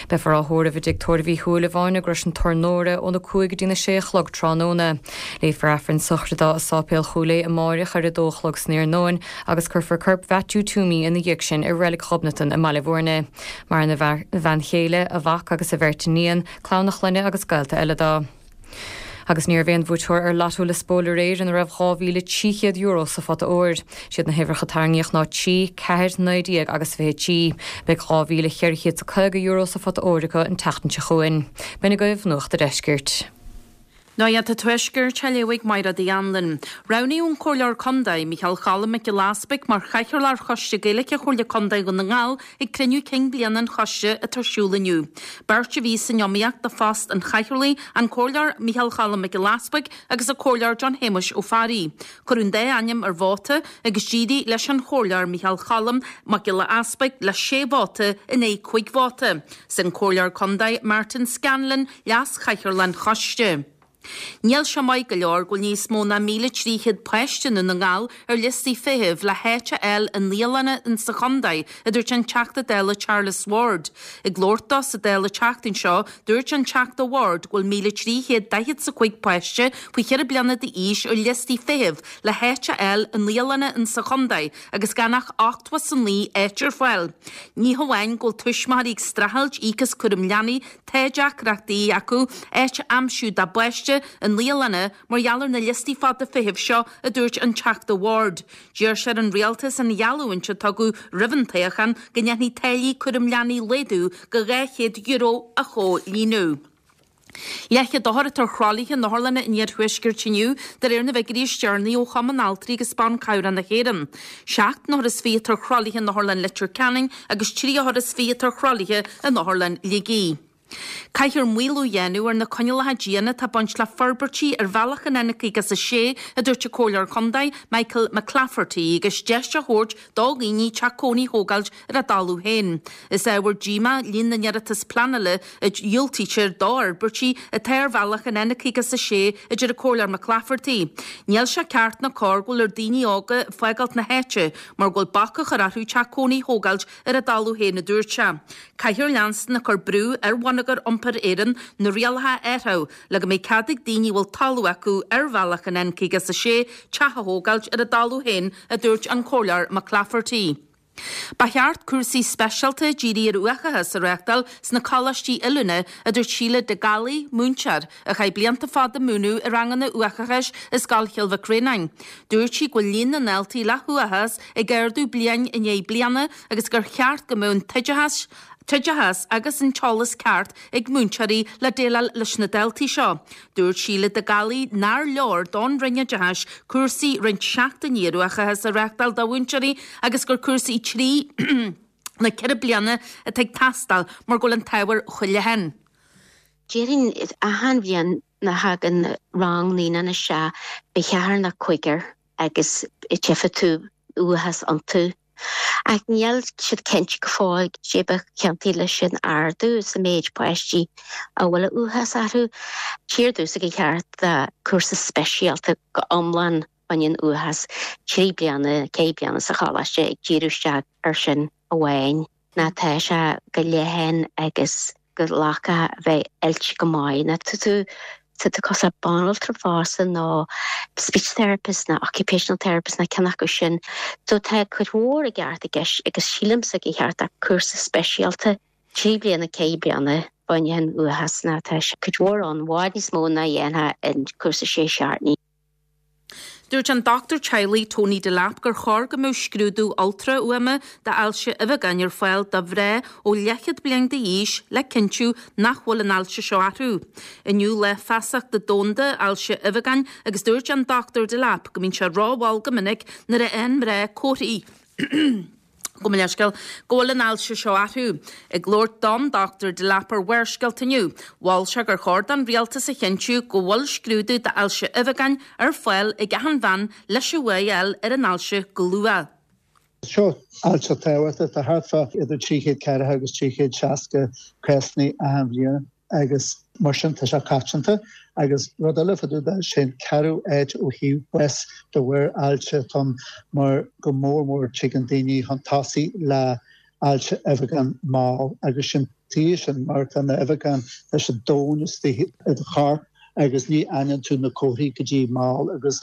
Beifear á thórramh i dTigh Tórraimh Uí Shúilleabháin i gCrois an Tornóra óna cúig go dtína sé a chlog tráthnóna. Léifear Aifreann sochraide i Sáipéal Chúil Aodha amáireach ar a dó a chlog san iarnóin agus cuirfear corp Mhaitiú Toomey ina dhiaidh sin i Reilig Ghobnatan i mBaile Bhúirne. Maireann a bhean chéile, a mhac agus a bheirt iníon, clann a chlainne agus gaolta eile dó. Agus ní raibh aon bhuaiteoir ar Lotto Liospóil aréir ina raibh dhá mhíle trí chéad euro sa phota óir. Siad na huimhreacha a tarraingíodh ná trí, ceathair, naoi déag agus fiche trí. Beidh dhá mhíle cheithre chéad is caoga euro sa phota óir acu an tseachtain seo chugainn. B'in agaibh Nuacht a' Deiscirt. Nuacht an Tuaiscirt á léamh ag Máire Uí Anluain. Roghnaíodh an Comhairleoir Contae, Micheál Cholm Mac Giolla Easpaig mar Chathaoirleach ar Choiste Gaeilge Chomhairle Contae Dhún na nGall ag cruinniú cinn bliana an choiste atá ar siúl inniu. Beirt a bhí san iomaíocht do phost an chathaoirligh, an Comhairleoir Micheál Cholm Mac Giolla Easpaig agus an Comhairleoir John Shéamuis Ó Fearraigh. Cuireadh an dá ainm ar vóta agus d'éirigh leis an Chomhairleoir Micheál Cholm Mac Giolla Easpaig le sé vóta in aghaidh cúig vóta. Is é an Comhairleoir Contae Martin Scanlon leas-chathaoirleach an choiste. Níl sé maith go leor go bhfuil níos mó ná míle trí chéad páiste i nDún na nGall ar liostaí feithimh le háit a fháil i naíolanna insa chontae, a dúirt an Teachta Dála Charles Ward. Ag labhairt dó sa Dáil an tseachtain seo, dúirt an Teachta Ward go bhfuil míle trí chéad daichead 's a cúig páiste faoi cheithre bliana d'aois ar liostaí feithimh le háit a fháil i naíolanna insa chontae agus gan ach ochtó 's a naoi áit ar fáil. Ní hamháin go bhfuil tuismitheoirí ag streachailt íoc as cúram leanaí, Tá deacrachtaí acu áit a aimsiú dá bpáiste i naíolanna mar gheall ar na liostaí fada feithimh seo, a dúirt an Teachta Ward. D'iarr sé ar an Rialtas an gheallúint a tugadh roimh an toghchán go ndéanfaí táillí cúram leanaí a laghdú go dhá chéad euro a chomhlíonadh. Leathchéad othar atá ar throlaithe in otharlanna an iarthuaiscirt inniu, de réir na bhfigiúirí is deireanaí ó Chumann Altraí agus Ban Cabhrach na hÉireann. Seacht n-othar is fiche atá ar throlaithe in Otharlann Leitir Ceanainn agus trí othar is fiche atá ar throlaithe in Otharlann Shligigh. Caithfear maolú a dhéanamh ar na coinníollacha diana atá ag baint le forbairtí ar bhealach an N caoga is a sé, a dúirt an Comhairleoir Contae, Michael McClafferty, agus deis a thabhairt do dhaoine teach cónaí a thógáilt ar a dtalamh féin. Is ábhar díomá líon na n-iarratas pleanála a dhiúltaítear d'fhorbairtí atá ar bhealach an N caoga is a sé, a deir an Comhairleoir McClafferty. Níl sé ceart ná cóir go bhfuil ar daoine óga fágáilt na háite mar go bhfuil bac á chur orthu teach cónaí a thógáilt ar a dtalamh féin, a dúirt sé. Caithfear leanstan ag cur brú ar Bhonneagar Iompair Éireann na rialacha a athrú le go mbeidh cead ag daoine a bhfuil talamh acu ar bhealach an N caoga is a sé teach a thógáilt ar a dtalamh féin, a dúirt an Comhairleoir McClafferty. Ba cheart cúrsaí speisialta dírithe ar uathachas a reáchtáil sna coláistí oiliúna, a dúirt Síle de Gallaí, múinteoir, a chaith blianta fada ag múineadh i ranganna uathachais i Scoil Chill Mhic Réanáin. Dúirt sí go bhfuil líon na ndaltaí le huathachas ag ardú bliain i ndiaidh bliana agus gur cheart go mbeadh an t-oideachas t-oideachas agus an t-eolas ceart ag múinteoirí le déileáil leis na daltaí seo. Dúirt Síle de Gallaí nár leor don Roinn Oideachais cúrsaí roinnt seachtainí ar uathachas a reáchtáil do mhúinteoirí agus gur cúrsaí trí nó ceithre bliana atá ag teastáil mar go bhfuil an t-ábhar chomh leathan. Déarfainn achan bhliain nuair a thagann rang naíonán isteach beidh ceathrar nó cúigear agus tchífidh tú uathachas iontu. Ach níl siad cinnte go fóill cé ba chiontaí leis sin ardú sa méid páistí a bhfuil uathachas orthu. Tír dúsa go ceart cúrsa speisialta go iomlán baineann uathachas trí bliana ceithre bliana sa choláiste ag díriú isteach ar sin amháin. Ná tá sé go leathan agus go glacadh a bheith oilte go maith. Ná tá tú tá tú cosúil le banaltra fosta nó speech therapist nó occupational therapist nó ceann acu sin. So tá cuid mhór i gceart i gceist agus sílimse go cheart cúrsa speisialta trí bliana ceithre bliana baineann uathachas ná tá sé cuid mhór ann, bhfad níos mó ná dhéanfá in cúrsa sé seachtainí. Dúirt an dochtúir teaghlaigh Tony Delap gur chóir go mbeadh scrúdú ultrafhuaime d'ailse uibheagáin ar fáil do mhná ó leathchéad bliain d'aois le cinntiú nach bhfuil an ailse seo orthu. Inniu Lá Feasachta Domhanda Ailse Uibheagáin agus dúirt an Dochtúir Delap go mbíonn sé rómhall go minic nuair a fhaigheann mná comharthaí Gabh mo leithscéal go bhfuil an ailse seo orthu. Ag labhairt don Dochtúir Delap ar Bharrscéalta inniu, mhol sé gur chóir don rialtas a chinntiú go bhfuil scrúdú d'ailse uibheagáin ar fáil ag achan bhean leis an bhfuath a fháil ar an ailse go luath. Seo ailse tábhachtach, tá thart fá idir trí chéad ceathracha agus trí chéad seasca cásanna achan bhliain agus mar sin tá sé coitianta agus rud eile fá dtaobh de sin ceathrú áit ó thaobh bás de bharr ailse atá ann mar go mór mór tigeann daoine chun tosaigh le ailse uibheagáin mall agus sin tuige sin mar tá na uibheagáin tá siad domhain istigh i do chorp agus ní aithníonn tú na comharthaí go dtí mall agus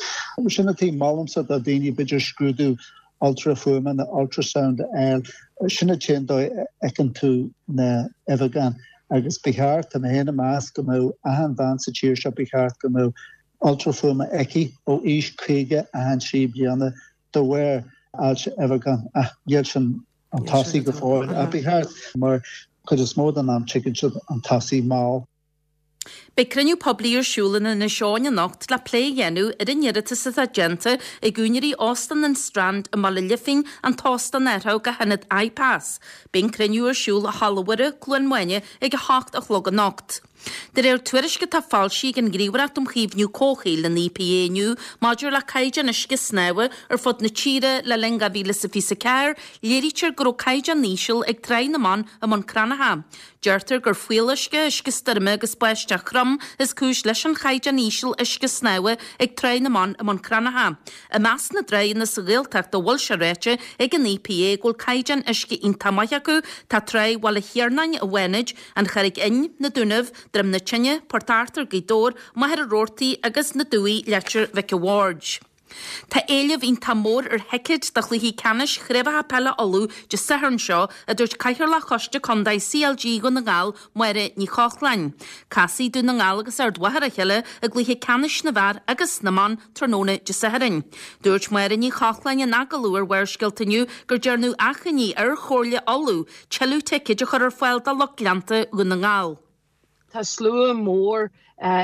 sin an tuige molaimse do daoine b'fhéidir scrúdú ultrafuaime nó ultrasound a fháil, sin an t-aon dóigh a fheiceann tú na uibheagáin agus ba cheart, tá mé féin ag meas go mbeadh achan bhean sa tír seo, ba cheart go mbeadh ultrafuaime aici ó aois caoga achan trí bliana de bharr ailse uibheagán ach níl sin chun tosaigh go fóill ach ba cheart mar cuid is mó den am tigeann siad chun tosaigh mall. Beidh cruinniú poiblí ar siúl in Inis Eoghain anocht le plé a dhéanamh ar an iarratas atá déanta ag úinéirí Óstán an Strand i mBaile Lifín an t-óstán a athrú go hionad iPass. Beidh an cruinniú ar siúl i Halla Mhuire, Cluain Mháine ag a hocht a chlog anocht. De réir tuairisc atá foilsithe ag an nGníomhaireacht um Chaomhnú Comhshaoil, an E P A, inniu maidir le caighdeán uisce snámha ar fud na tíre le linn dhá mhíle is a fiche a ceathair, léirítear go raibh caighdeán íseal ag Tráigh na mBan i mBun Cranncha. Deirtear gur fuíolluisce, uisce stoirme agus báisteach throm is cúis leis an chaighdeán íseal uisce snámha ag Tráigh na mBan i mBun Cranncha. I measc na dtránna sa Ghaeltacht a bhfuil sé ráite ag an E P A go bhfuil caighdeán uisce iontach maith acu, tá Tráigh Bhaile Thiarnáin i bhFánaid, An Charraig Fhinn, Na Dúnaibh, Droim na Tine, Port Arthur, Gaoth Dobhair, Machaire Rabhartaigh agus na Dumhaigh, Leitir Mhic a' Bhaird. Tá éileamh iontach mór ar thicéid do chluichí ceannais Chraobhacha Peile Uladh Dé Sathairn seo, a dúirt Cathaoirleach Choiste Contae C L G Dhún na nGall, Máire Ní Chochláin. Casfaidh Dún na nGall agus Ard Mhacha ar a chéile i gcluiche ceannais na bhfear agus na mban tráthnóna Dé Sathairn. Dúirt Máire Ní Chochláin in agallamh ar Bharrscéalta inniu gur dearnadh achainí ar Chomhairle Uladh tuilleadh ticéid a chur ar fáil do lucht leanta Dhún na nGall. Tá slua mór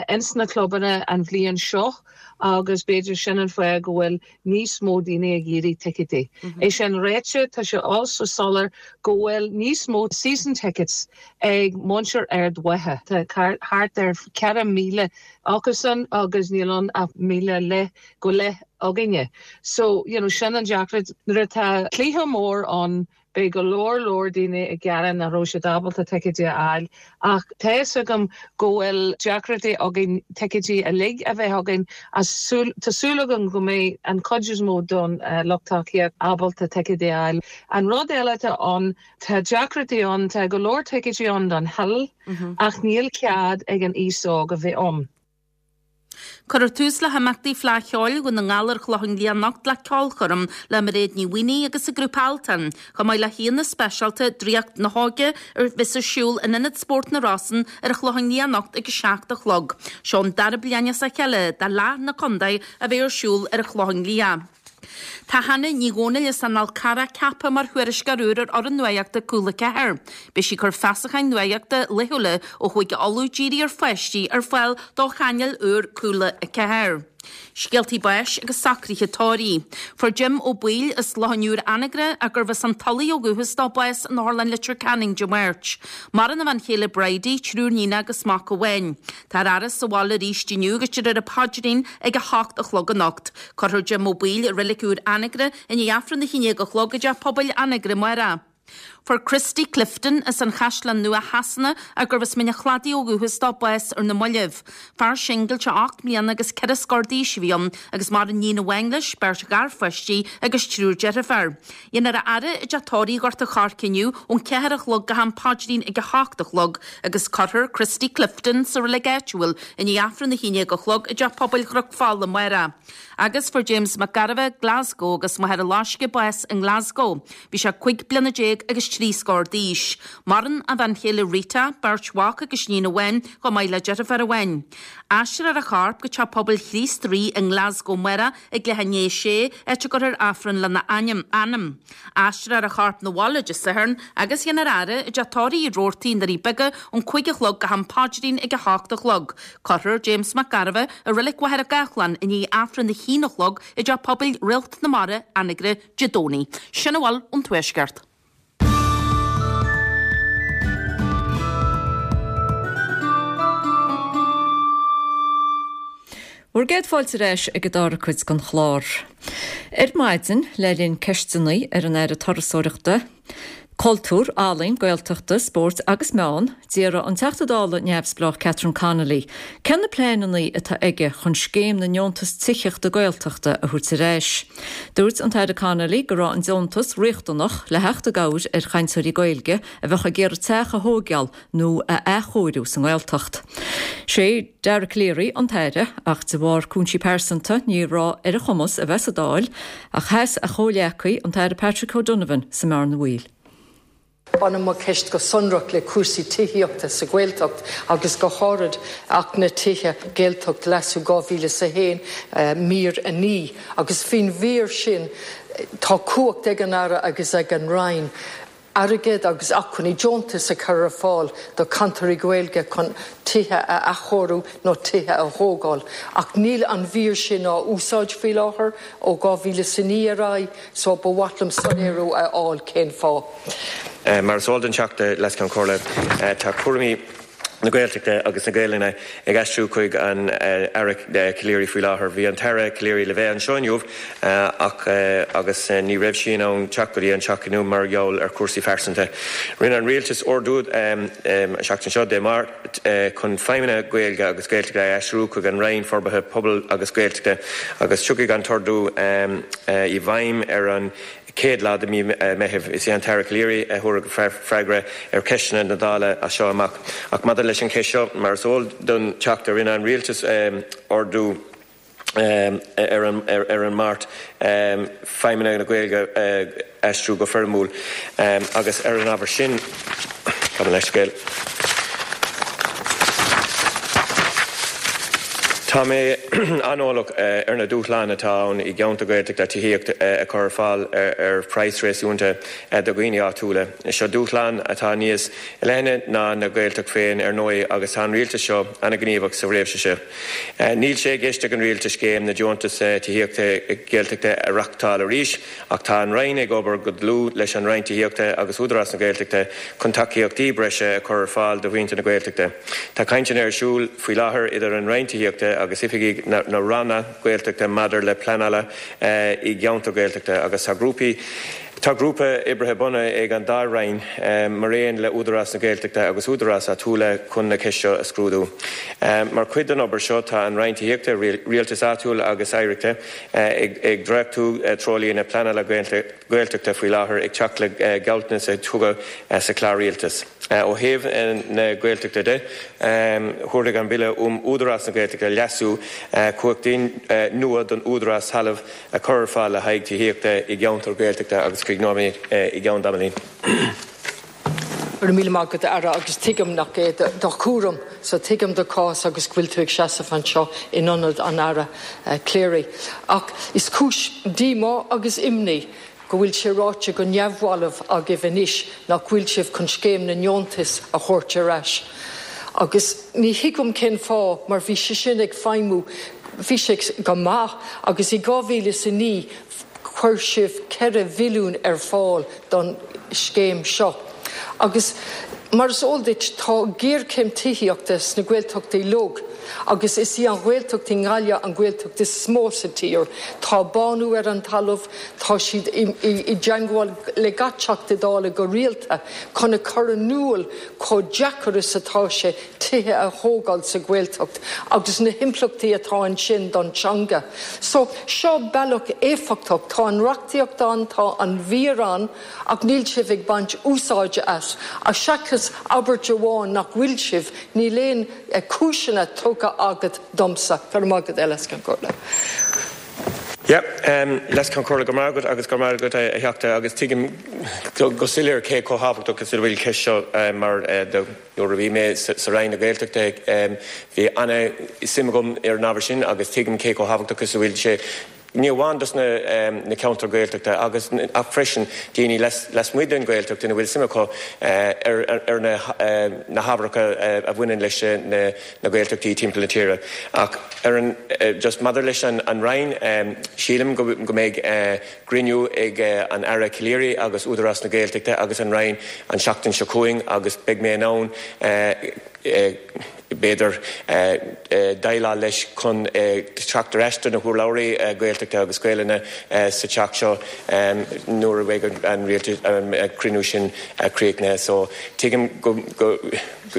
ins na clubanna an bhliain seo agus b'fhéidir sin an fáth go bhfuil níos mó daoine ag iarraidh ticéidí. É sin ráite, tá sé also soiléir go bhfuil níos mó season tickets ag muintir Ard Mhacha. Tá thart ar ceithre míle acusan agus níl ann ach míle le go leith againne. So you know, sin an deacracht nuair atá cluiche mór ann beidh go leor leor daoine ag gearán nach raibh siad ábalta ticéidí a fháil ach tá a fhios agam go bhfuil deacrachtaí againn ticéidí uilig a bheith againn tá súil agam go mbeidh an chuid is mó don uh, lucht tacaíochta ábalta ticéidí a fháil. An rud eile atá ann tá deacrachtaí ann tá go leor ticéidí ann don Hill mm -hmm. ach níl cead ag an aos óg a bheith ann. Cuirfear tús le himeachtaí Fleadh Cheoil Dhún na nGall ar Chlochán Liath anocht le ceolchoirm le Mairéad Ní Mhaonaigh agus a grúpa Altan, chomh maith le haíonna speisialta Draíocht na hÓige a bheas ar siúl in Ionad Spóirt na Rosann ar Chlochán Liath anocht ag a seacht a chlog. Seo an dara bliain as a chéile d'Fhleadh na Contae a bheidh ar siúl ar Chlochán Liath. Tá Hannah Ní Dhomhnaill as an Fhál Carrach ceaptha mar thuairisceoir úr ar fhoireann nuachta Cúla Ceathair. Beidh sí ag cur feasacháin nuachta laethúla ó Chúige Uladh dírithe ar pháistí ar fáil do chainéal úr Cúla a ceathair. Scéaltaí báis agus socruithe tórraimh. Fuair Jim Ó Baoill as Loch an Iúir Anagaire ach gurbh as an Tulaigh ó dhúchas dó bás in Otharlann Leitir Ceanainn Dé Máirt. Maireann a bhean chéile Bridie, triúr níon agus mac amháin. Táthar á fhaire sa bhaile arís inniu agus déarfar an paidrín ag a hocht a chlog anocht. Cuirfear Jim Ó Baoill i reilig úr Anagaire i ndiaidh Aifreann a haon déag a chlog i dteach pobail Anagaire amárach. Fuair Christy Clifton as an Chaisleán Nua Shasana ach gurbh as Mín an Chladaigh ó dhúchas dó bás ar na mallaibh. Fear singilte ocht mbliana agus ceithre scór d'aois a bhí ann agus maireann níon amháin leis, beirt gharpháistí agus triúr deirfiúr. Dhéanfar a fhaire i dteach tórraimh Ghort an Choirce inniu ón ceathair a chlog go ham paidrín ag a hocht a chlog agus cuirfear Christy Clifton sa reilig áitiúil i ndiaidh Aifreann a haon déag a chlog i dteach pobail Chnoc Fola amárach. Agus fuair James Mac Gairbheith, Glasgow agus Machaire Loiscthe bás i nGlasgow. Bhí sé cúig bliana déag agus trí scór d'aois. Maireann a bhean chéile Rita, beirt mhac agus iníon amháin, chomh maith le deirfiúr amháin. Aistreofar a chorp go Teach Pobail Chríost Rí i nGlasgow amárach ag leath i ndiaidh a sé, áit a gcuirfear Aifreann lena ainm. Anam. Aistreofar a chorp 'na bhaile Dé Sathairn agus dhéanfar a fhaire i dteach tórraimh Uí Robhartaigh i nDoirí Beaga ón cúig a chlog go ham paidrín ag a hocht a chlog. Cuirfear James Mac Gairbheith i Reilig Mhachaire Gathlán i ndiaidh Aifreann a haon a chlog i dTeach Pobail Réalt na Mara, Anagaire, Dé Domhnaigh. Sin a bhfuil ón Tuaisceart. Bhur gcéad fáilte ar ais ag an dara cuid den chlár. Ar maidin, le linn ceisteanna ar an Aire Turasóireachta, Cultúir, Ealaíon, Gaeltachta, Spóirt agus Meán, d'iarr an Teachta Dála neamhspleách Catherine Connolly cé na pleananna atá aige chun scéim na ndeontas tithíochta Gaeltachta a thabhairt ar ais. Dúirt an tAire Connolly go raibh an deontas riachtanach le theacht i gcabhair ar chainteoirí Gaeilge a bheadh ag iarraidh teach a thógáil nó a athchóiriú sa nGaeltacht. Sé Dara Calleary an tAire ach de bharr cúinsí pearsanta ní raibh ar a chumas a bheith sa Dáil ach sheas a chomhghleacaí an tAire Patrick O'Donovan sa mbearna bhaoil. Baineann mo cheist go sonrach le cúrsaí tithíochta sa Ghaeltacht agus go háirid Acht na dTithe Gaeltacht Leasú dhá mhíle is a haon, mír a naoi, agus faoin mhír sin tá cumhacht ag an Aire agus ag an Roinn airgead agus acmhainní deontais a chur ar fáil do chainteoirí Gaeilge chun tithe a athchóiriú nó tithe a thógáil. Ach níl an mhír sin á úsáid faoi láthair ó dhá mhíle is a naoi ar aghaidh so ba mhaith liom soiléiriú a fháil cén fáth. Mar is eol don Teachta Leas-Cheann Comhairle, tá cúraimí na Gaeltachta agus na Gaelainne ag aistriú chuig an Aire Calleary faoi láthair. Bhí an tAire Calleary le bheith anseo inniu ach agus ní raibh sí in ann teacht go dtí an Teach inniu mar gheall ar chúrsaí phearsanta. Rinne an Rialtas ordú an seachtain seo, Dé Máirt, chun feidhmeanna Gaeilge agus Gaeltachta a aistriú chuig an Roinn Forbartha Pobail agus Gaeltachta agus tiocfaidh an t-ordú i bhfeidhm ar an chéad lá de mhí Meithimh. Is é an tAire Calleary a thabharfaidh freagra ar cheisteanna na Dála as seo amach. Ach maidir leis an cheist seo, mar is eol don Teachta, rinne an Rialtas ordú ar an Máirt feidhmeanna na Gaeilge a aistriú go foirmiúil agus ar an ábhar sin, gabh mo leithscéal. Tá mé an-eolach ar na dúshláin atá ann i gceantar Gaeltachta tithíocht a chur ar fáil ar phraghas réasúnta do dhaoine áitiúla. Seo dúshlán atá níos leithne ná na Gaeltacht féin ar ndóigh agus tá an Rialtas seo an-ghníomhach sa réimse seo. Níl sé i gceist ag an Rialtas scéim na deontas tithíochta Gaeltachta a reáchtáil arís ach tá an Roinn ag obair go dlúth leis an Roinn Tithíochta agus Údarás na Gaeltachta chun tacaíochtaí breise a chur ar fáil do mhuintir na Gaeltachta. Tá cainteanna ar siúl faoi láthair idir an Roinn Tithíochta agus oifigigh na Ranna Gaeltachta maidir le pleanáil i gceantar Gaeltachta agus tá grúpaí Tá grúpa oibre bunaithe ag an dá Roinn maraon le Údarás na Gaeltachta agus údaráis áitiúla chun na ceist seo a scrúdú. Mar chuid den obair seo tá an Roinn Tithíochta, Rialtais Áitiúil agus Oidhreachta ag dréachtú treoirlíne pleanála Gaeltachta faoi láthair ag teacht le gealltanas a tugadh sa Chlár Rialtais. Ó thaobh na Gaeltachta de, thabharfaidh an Bille um Údarás na Gaeltachta, Leasú, cumhachtaí nua don Údarás talamh a chur ar fáil le haghaidh tithíochta i gceantar Gaeltachta agus críochnóidh mé i gceann tamaillín. Go raibh míle maith agat, a Aire, agus tuigim nach é do chúram, so tuigim do chás agus go bhfuil tú ag seasamh anseo in ionad an Aire Cleary. Ach is cúis díomá agus imní go bhfuil sé ráite go neamhbhalbh agaibh anois nach bhfuil sibh chun scéim na ndeontas a thabhairt ar ais. Agus ní thuigim cén fáth, mar bhí sé sin ag feidhmiú, bhí sé go maith, agus i dhá mhíle is a naoi chuir sibh ceithre bhilliún ar fáil don scéim seo. Agus mar is eol duit, tá géarchéim tithíochta sna Gaeltachtaí uilig, agus is í an Ghaeltacht i nGaillimh an Ghaeltacht is mó sa tír. Tá bánú ar an talamh, tá siad i dteangmháil le gach Teachta Dála go rialta chun a chur in iúl chomh deacair is atá sé tithe a thógáil sa Ghaeltacht agus na himpleachtaí atá ansin don teanga. So, seo bealach éifeachtach, tá an reachtaíocht ann, tá an mhír ann, ach níl sibh ag baint úsáide as. Ach seachas abairt amháin nach bhfuil sibh, níl aon cúiseanna tugtha agat domsa. Go raibh maith agat, a Leas-Cheann Comhairle. Yeah, Leas-Cheann Comhairle, go raibh maith agat agus go raibh maith agat a Theachta agus tuigim go soiléir cé chomh thábhachtach is a bhfuil ceist seo mar do nuair a bhí mé sa Roinn na Gaeltachta bhí ana-suim agam ar an ábhar sin agus tuigim cé chomh thábhachtach is a bhfuil sé ní amháin dos na na ceantair Gaeltachta agus ach freisin daoine lasmuigh den Ghaeltacht ina bhfuil suim acu ar ar na na hábharacha a bhaineann leis na na Gaeltachtaí timpeall na tíre. Ach ar an just maidir leis an an Roinn sílim go go mbeidh cruinniú ag an Aire Calleary agus Údarás na Gaeltachta agus an Roinn an seachtain seo chugainn agus beidh mé in ann b'fhéidir, déileáil leis chun teacht ar ais do na hurlabhraí Gaeltachta agus Gaelainne sa Teach seo nuair a bheidh an cruinniú sin críochnaithe. So, tuigim go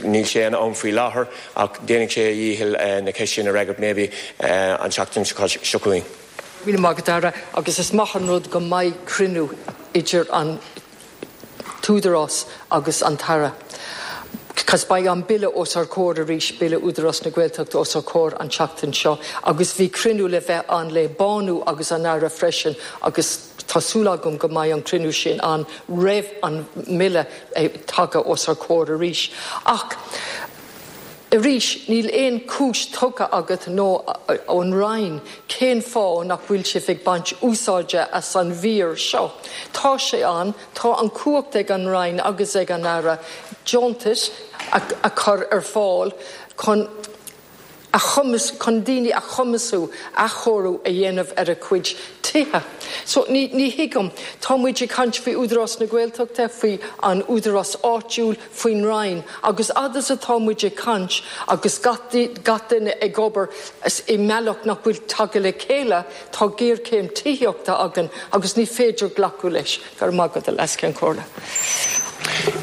níl sé in am faoi láthair ach déanfaidh sé a dhícheall na ceist sin a fhreagairt maybe an tseachtain seo chugainn. Míle maith agat, Aire, agus is maith an rud go mbeidh cruinniú idir an tÚdarás agus an tAire. Cos beidh an Bille os ár comhair arís, Bille Údarás na Gaeltachta os ár comhair an tseachtain seo agus bhí cruinniú le bheith ann le Bánú agus an Aire freisin agus tá súil agam go mbeidh an cruinniú sin ann roimh an mBille tagtha os ár comhair arís. Ach arís, níl aon chúis tugtha agat nó ón Roinn cén fáth nach bhfuil sibh ag baint úsáide as an mhír seo. Tá sé ann, tá an chumhacht ag an Roinn agus ag an Aire deontais a chur ar fáil chun a chumas, chun daoine a chumasú athchóiriú a dhéanamh ar a gcuid tithe. So ní, ní thuigim. Tá muid ag caint faoi Údarás na Gaeltachta, faoi an údarás áitiúil, faoin Roinn, agus fhad is atá muid ag caint agus gach, gach duine ag obair i mbealach nach bhfuil tagtha le chéile, tá géarchéim tithíochta againn agus ní féidir glacadh leis. Go raibh maith agat, a Leas-Cheann Comhairle.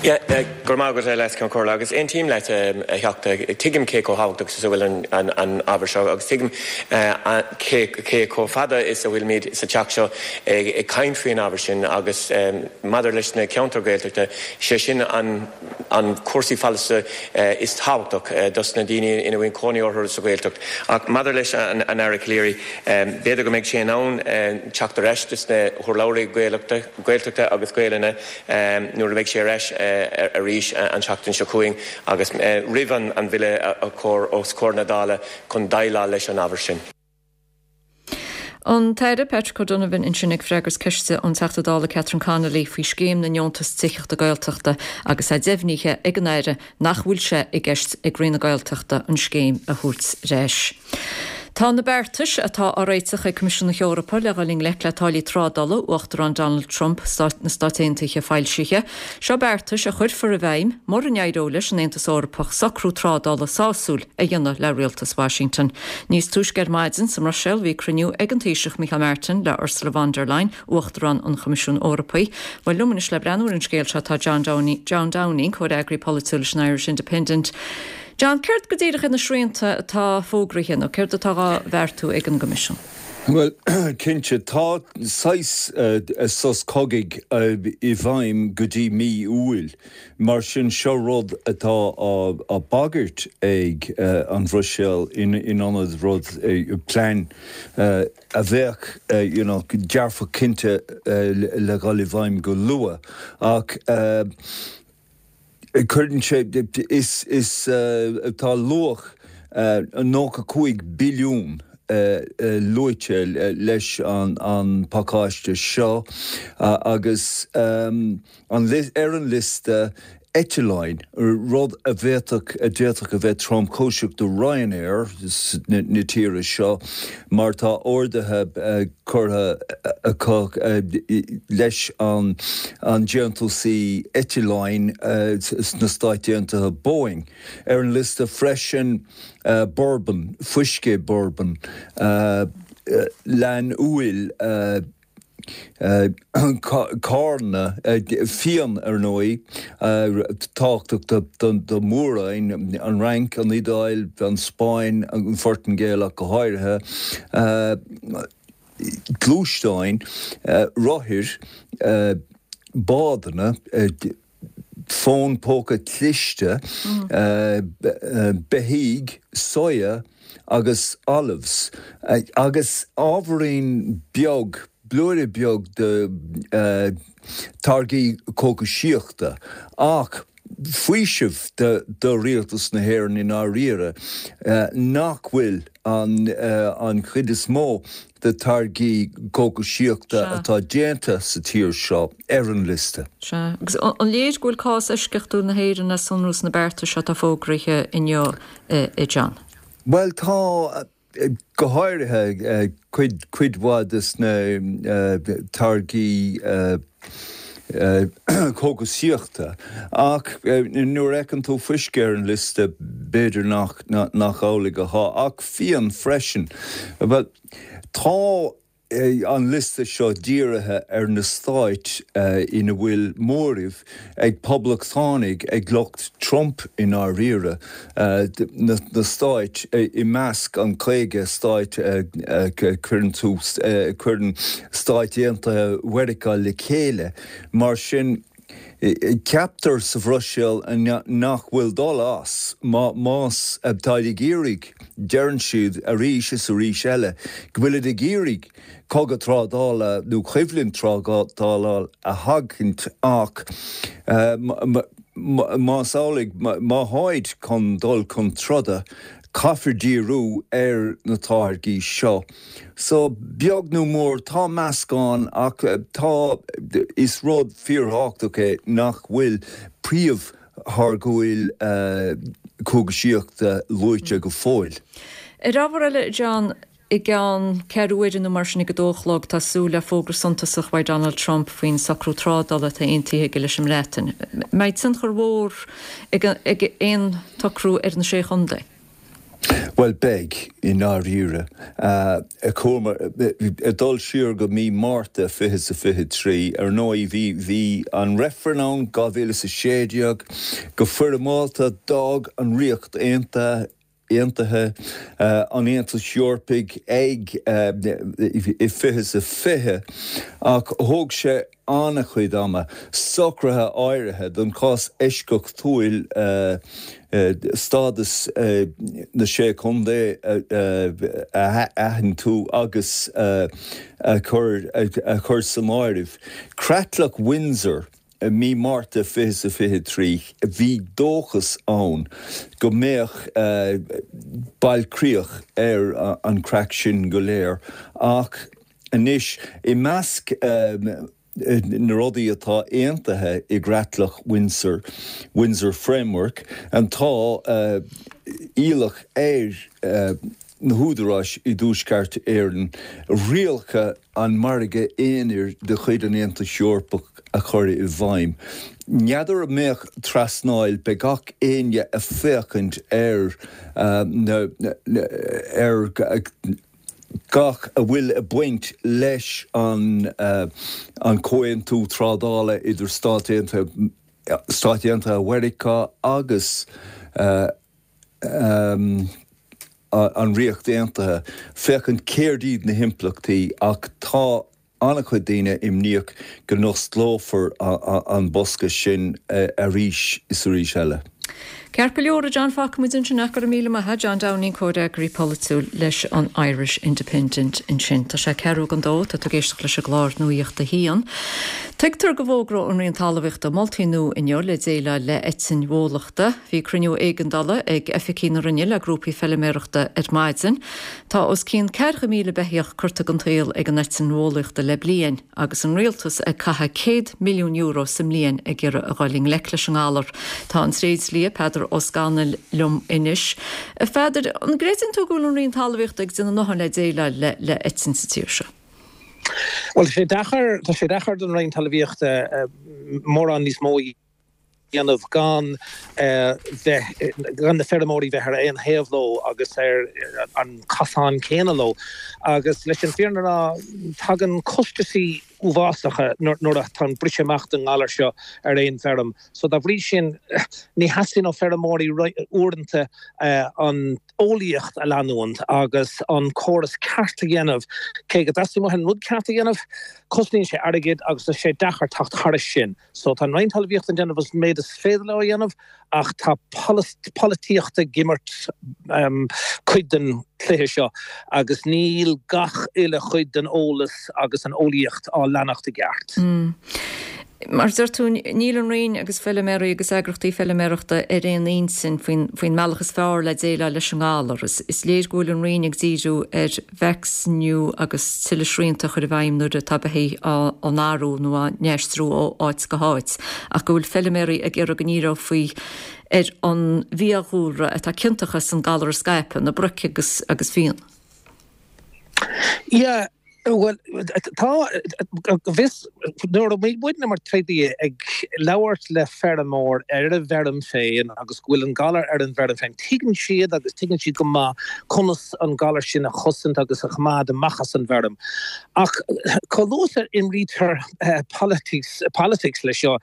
Yeah, go raibh maith agat, a Leas-Cheann Comhairle, agus aontaím leat, a Theachta. Tuigim cé chomh thábhachtach is a bhfuil an, an ábhar seo agus tuigim cé, cé chomh fada is a bhfuilimid sa teach seo ag, ag caint faoin ábhar sin agus maidir leis na ceantair Ghaeltachta, sé sin an, an cúrsaí folláine is tábhachtach dos na daoine ina bhfuil cónaí orthu sa Ghaeltacht. Ach maidir leis an, an Aire Calleary, b'fhéidir go mbeidh sé in ann teacht ar ais dos na hurlabhraí Gaeltachta, Gaeltachta agus Gaelainne nuair a bheidh sé ar ais arís an tseachtain seo chugainn agus roimh an Bhille a chur os comhair na Dála chun déileáil leis an ábhar sin. An tAire Patrick O'Donovan ansin ag freagairt ceiste ón Teachta Dála Catherine Connolly faoi scéim na ndeontas tithíochta Gaeltachta agus é deimhnithe ag an Aire nach bhfuil sé i gceist ag Roinn na Gaeltachta an scéim a thabhairt ar ais. Tá na beartais atá á réiteach ag Coimisiún na hEorpa le dhul i ngleic le táillí trádála Uachtarán Donald Trump na Stát Aontaithe foilsithe. Seo beartais a chuirfear i bhfeidhm mura n-éireoidh leis an Aontas Eorpach socrú trádála sásúil a dhéanamh le rialtas Washington. Níos túisce ar maidin sa mBruiséil bhí cruinniú ag an Taoiseach Micheál Martin le Ursula von der Leyen, Uachtarán an Choimisiúin Eorpaigh. Bhuel liom anois le breathnú ar an scéal seo tá John Downing, John Downing, comhfhreagraí polaitiúil leis an Irish Independent. John, céard go díreach iad na srianta atá fógraithe nó céard atá á bheartú ag an gCoimisiún? Bhuel, cinnte, tá saghas sos cogaidh i bhfeidhm go dtí mí Iúil. Mar sin, seo rud atá á bagairt ag an Bhruiséil in ionad rud, plean a bheadh you know dearfach cinnte le dhul i bhfeidhm go luath. Ach. Cuireann sé, is, is, tá luach nócha cúig billiún luaite leis an pacáiste seo agus ar an liosta eitleáin, rud a bhféadfadh, a d'fhéadfadh a bheith tromchúiseach do Ryanair na tíre seo mar tá orduithe curtha acu leis an déantúsaí eitleáin sna Stáit Aontaithe, Boeing. Ar an liosta freisin bourbon, fuisce bourbon, leann úill, Carranna, fíon ar ndóigh, tábhachtach do mhórán, an Fhrainc, an Iodáil, an Spáinn, an Phortaingéil ach go háirithe, gluaisteáin, rothair, bádanna, fón póca cliste, beithígh, soya agus olives, agus ábhairín beag, blúire beag de táirgí cógaisíochta. Ach faoiseamh do rialtas na hÉireann i ndáiríre nach bhfuil an chuid is mó de táirgí cógaisíochta atá déanta sa tír seo ar an liosta. Sea. Agus an léir go bhfuil cás eisceachtúil na hÉireann le sonrú sna bearta seo atá fógraithe inniu, a John? Bhuel, tá, go háirithe cuid, cuid mhaith de na táirgí cógaisíochta. Ach nuair a fheiceann tú fuisce ar an liosta, b'fhéidir nach, nach amhlaidh atá. Ach fíon freisin. Bhuel, tá an liosta seo dírithe ar na stáit ina bhfuil móramh ag poblachtánaigh, ag lucht Trump i ndáiríre, na stáit i measc an caoga stát a chuireann tús, a chuireann Stáit Aontaithe Mheiriceá le chéile. Mar sin, ceaptar sa Bhruiséil nach bhfuil dul as más táid ag iarraidh, deireann siad arís is arís eile go bhfuilid ag iarraidh cogadh trádála nó coimhlint trádála a sheachaint ach más amhlaidh, má tháid chun dul chun troda, caithfear díriú ar na táirgí seo. So, beag nó mór, tá meascán ach tá, is rud fíorthábhachtach é nach bhfuil príomhtháirgeoirí cógaisíochta luaite go fóill. Ar ábhar eile, John, i gceann ceathrú uaire nó mar sin ag a dó a chlog, tá súil le fógra suntasach uaidh Donald Trump faoin socrú trádála atá aontaithe aige leis an mBreatain. Mbeidh tionchar mhór ag aon tsocrú ar na Sé Chontae? Bhuel, beidh, i ndáiríre. Chuamar ag dul siar go mí Márta fiche is a fiche trí. Ar ndóigh, bhí, bhí an reifreann ann dhá mhíle is a sé déag. Go foirmeálta, d'fhág an Ríocht Aontaithe, Aontaithe, an Aontas Eorpaigh ag i fiche is a fiche, ach thóg sé an-chuid ama socruithe áirithe don chás eisceachtúil stádas na Sé Chontae a athantú agus a chur san áireamh. Creatlach Windsor i mí Márta fiche is a fiche trí, bhí dóchas ann go mbeadh bailchríoch ar an chraic sin go léir ach anois, i measc na rudaí atá aontaithe i gCreatlach Windsor, Windsor Framework, tá iallach ar na húdaráis i dTuaisceart Éireann rialacha an mhargaidh aonair de chuid an Aontais Eorpaigh a chur i bhfeidhm. N'fheadar an mbeadh trasnáil, beidh gach éinne ag féachaint ar na ar gach a bhfuil ag baint leis an an comhaontú trádála idir Stáit Aontaithe Stáit Aontaithe Mheiriceá agus an Ríocht Aontaithe, féachaint céard iad na himpleachtaí ach tá an-chuid daoine imníoch go n-osclófar an bosca sin arís is arís eile. Ceart go leor a John fágfaidh muid ansin é go raibh míle maith John Downing comhfhreagraí polaitiúil leis an Irish Independent ansin. Tá sé ceathrú don dó tá tú ag éisteacht leis an gclár Nuacht a hAon. Tuigtear go bhfógróidh an Roinn Talmhaíochta moltaí nua inniu le déileáil le eitinn bhólachta. Bhí cruinniú éigeandála ag oifigigh na Roinne le grúpaí feilméarachta ar maidin. Tá os cionn ceathracha míle beithíoch curtha den tsaol ag an eitinn bhólaíochta le bliain, agus an rialtas ag caitheamh céad milliún euro sa mbliain ag iarraidh a dhul i ngleic leis an ngalar. Tá an tréidlia Peadar Ó Scanaill liom anois. A Pheadair, an gcreideann tú go bhfuil an Roinn Talmhaíochta ag déanamh a ndóthain le déileáil le le eitinn sa tír seo? Bhuel, tá sé deacair, tá sé deacair don Roinn Talmhaíochta mórán níos mó a dhéanamh gan bheith, gan na feirmeoirí bheith ar aon thaobh leo agus ar an cosán céanna leo. Agus leis an bhfírinne a rá, tagann costasaí uafásacha nuair atá an briseadh amach den ngalar seo ar aon bhfeirm. So dá bhrí sin, ní theastaíonn ó feirmeoirí uaireanta an eolaíocht a leanúint agus an córas ceart a dhéanamh. Cé go dteastaíonn uathu an rud ceart a dhéanamh, cosnaíonn sé airgead agus tá sé deacair teacht thairis sin. So tá an Roinn Talmhaíochta ag déanamh an méid is féidir leo a dhéanamh ach tá polaitíocht ag imirt cuid den chluiche seo agus níl gach uile chuid den eolas agus an eolaíocht á leanacht i gceart. Mar a deir tú, níl an Roinn agus feilméaraí agus eagrachtaí feilméarachta ar aon intinn faoin faoin mbealach is fearr le déileáil leis an ngalar. Is is léir go bhfuil an Roinn ag díriú ar vacsaíniú agus tuilleadh srianta a chur i bhfeidhm nuair atá beithígh á n-athrú nó á n-aistriú ó áit go háit, ach go bhfuil feilméaraí ag iarraidh go ndíreofaí ar an bhfiadhúlra atá ciontach as an galar a scaipeadh, na broic agus agus fianna. Yeah, bhuel, tá, go bhfios, nuair a bhí muidne mar tréidlia ag labhairt le feirmeoir ar a bhfeirm féin agus go bhfuil an galar ar an bhfeirm féin, tuigeann siad agus tuigeann siad go maith conas an galar sin a chosaint agus a choimeád amach as an bhfeirm. Ach chomh luath is a imrítear politics, politics leis seo,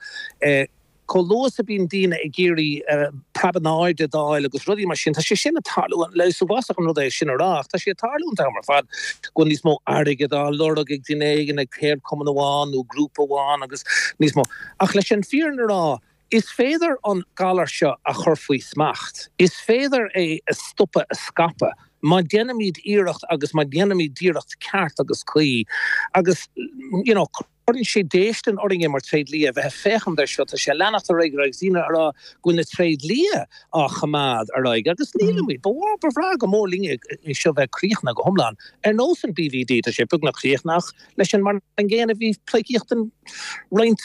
Chomh luath is a bíonn daoine ag iarraidh preab in airde d'fháil agus rudaí mar sin, tá sé sin ag tarlú, is uafásach an rud é sin a rá ach tá sé ag tarlú an t-am ar fad go bhfuil níos mó airgid á lorg ag duine éigin, ag ceardchumann amháin nó grúpa amháin agus níos mó. Ach leis an fírinne a rá, is féidir an galar seo a chur faoi smacht, is féidir é a stopadh a scaipeadh má dhéanaimid iarracht agus má dhéanaimid iarracht ceart agus cuí agus you know, Cuireann sé déistin orainne mar tréidlia a bheith ag féachaint air seo. Tá sé ag leanacht ar aghaidh agus daoine ag rá go bhfuil na tréidlia á choimeád ar aghaidh agus nílimid. Ba mhaith, ba bhreá go mór linne é seo bheith críochnaithe go hiomlán. Ar nós an BVD, tá sé beagnach críochnaithe ach leis an mar an gcéanna bhí pleidhcíocht an roinnt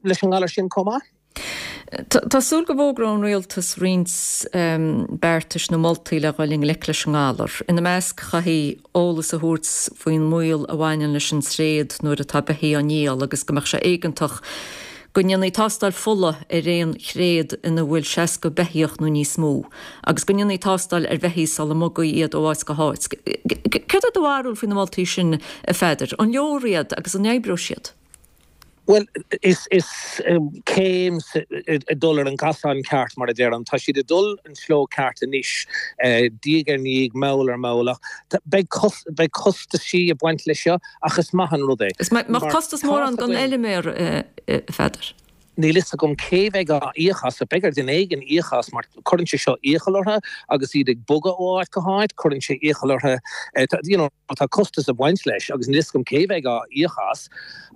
leis an ngalar sin chomh maith. Tá súil go bhfógróidh an rialtas roinnt beartais nó moltaí le dhul i ngleic leis an ngalar. Ina measc, chaithfí eolas a thabhairt faoin mbaol a bhaineann leis an tréad nuair atá beithígh á ndíol agus go mbeadh sé éigeantach go ndéanfaí tástáil fola ar aon thréad ina bhfuil seasca beithíoch nó níos mó agus go ndéanfaí tástáil ar bheithígh sula mbogfaí iad ó áit go háit. Céard é do bharúil faoi na moltaí sin, a Pheadair? An leor iad agus an oibreoidh siad? Bhuel, is is céim ag dul ar an gcosán ceart, mar a deirim. Tá siad ag dul an sleo ceart anois, diaidh ar ndiaidh, mall ar mhall, ach beidh beidh costaisí ag baint leis seo, ach is maith an rud é. Is mbeadh costas mór ann don fheilméar, a Pheadair? Níl fhios agam cé bheidh á íoc as, beidh ar duine éigin íoc as mar cuireann sé seo iachall orthu agus iad ag bogadh ó áit go háit, cuireann sé iachall orthu, you know, tá costas ag baint leis agus níl fhios agam cé bheidh á íoc as.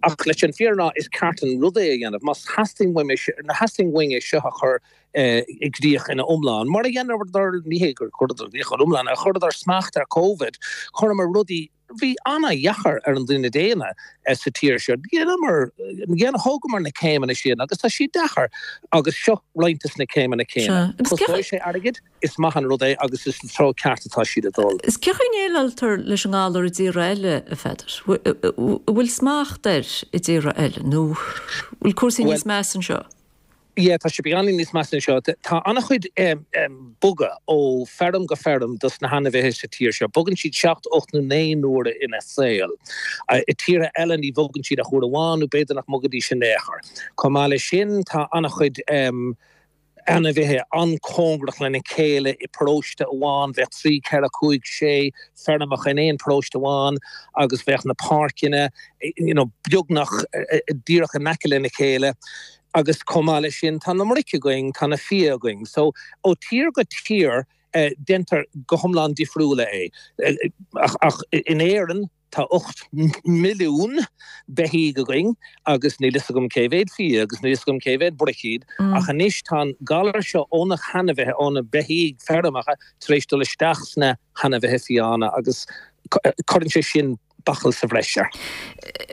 Ach leis an fírinne a rá, is ceart an rud é a dhéanamh. Má theastaíonn uaim é seo, má theastaíonn uainn é seo a chur i gcrích ina iomlán, mar a dheineadar, ní hé gur chuireadar i gcrích ina iomlán, ach chuireadar smacht ar Covid, chuireamar rudaí, Bhí ana-dheacair ar an duine daonna sa tír seo. Dheineamar, thógamar na céimeanna sin agus tá siad deacair agus seo roinnt des na céimeanna céanna. Costóidh sé airgead, is maith an rud é agus is sa treo ceart atá siad ag dul. Is cén chaoi a ndéileáiltear leis an ngalar i dtíortha eile, a Pheadair? An bhfuil smacht air i dtíortha eile nó bhfuil cúrsaí níos measa anseo? Yeah, tá sé beagáinín níos measa anseo. Tá an-chuid bogadh ó feirm go feirm dos na hainmhithe sa tír seo. Bogann siad seacht, ocht nó naoi n-uaire ina saol. I tíortha eile ní bhogann siad ach uair amháin nó b'fhéidir nach mbogaidís in aon chor. Chomh maith leis sin tá an-chuid ainmhithe an-chóngarach lena chéile i bparóiste amháin. Bheadh trí, ceithre, cúig, sé feirmeacha in aon paróiste amháin agus bheadh na páirceanna you know beagnach díreach in aice lena chéile. Agus chomh maith leis sin tá na broic againn, tá na fia againn. So ó tír go tír déantar go hiomlán difriúla é. Ach in Éirinn tá ocht milliún beithígh againn agus níl fhios agam cé mhéad fia agus níl fhios agam cé mhéad broic iad. Ach anois tá an galar seo ó na hainmhithe, ó na beithígh feirmeacha tar éis dul isteach sna hainmhithe fiáine agus cuireann sé sin bachall sa bhreis air.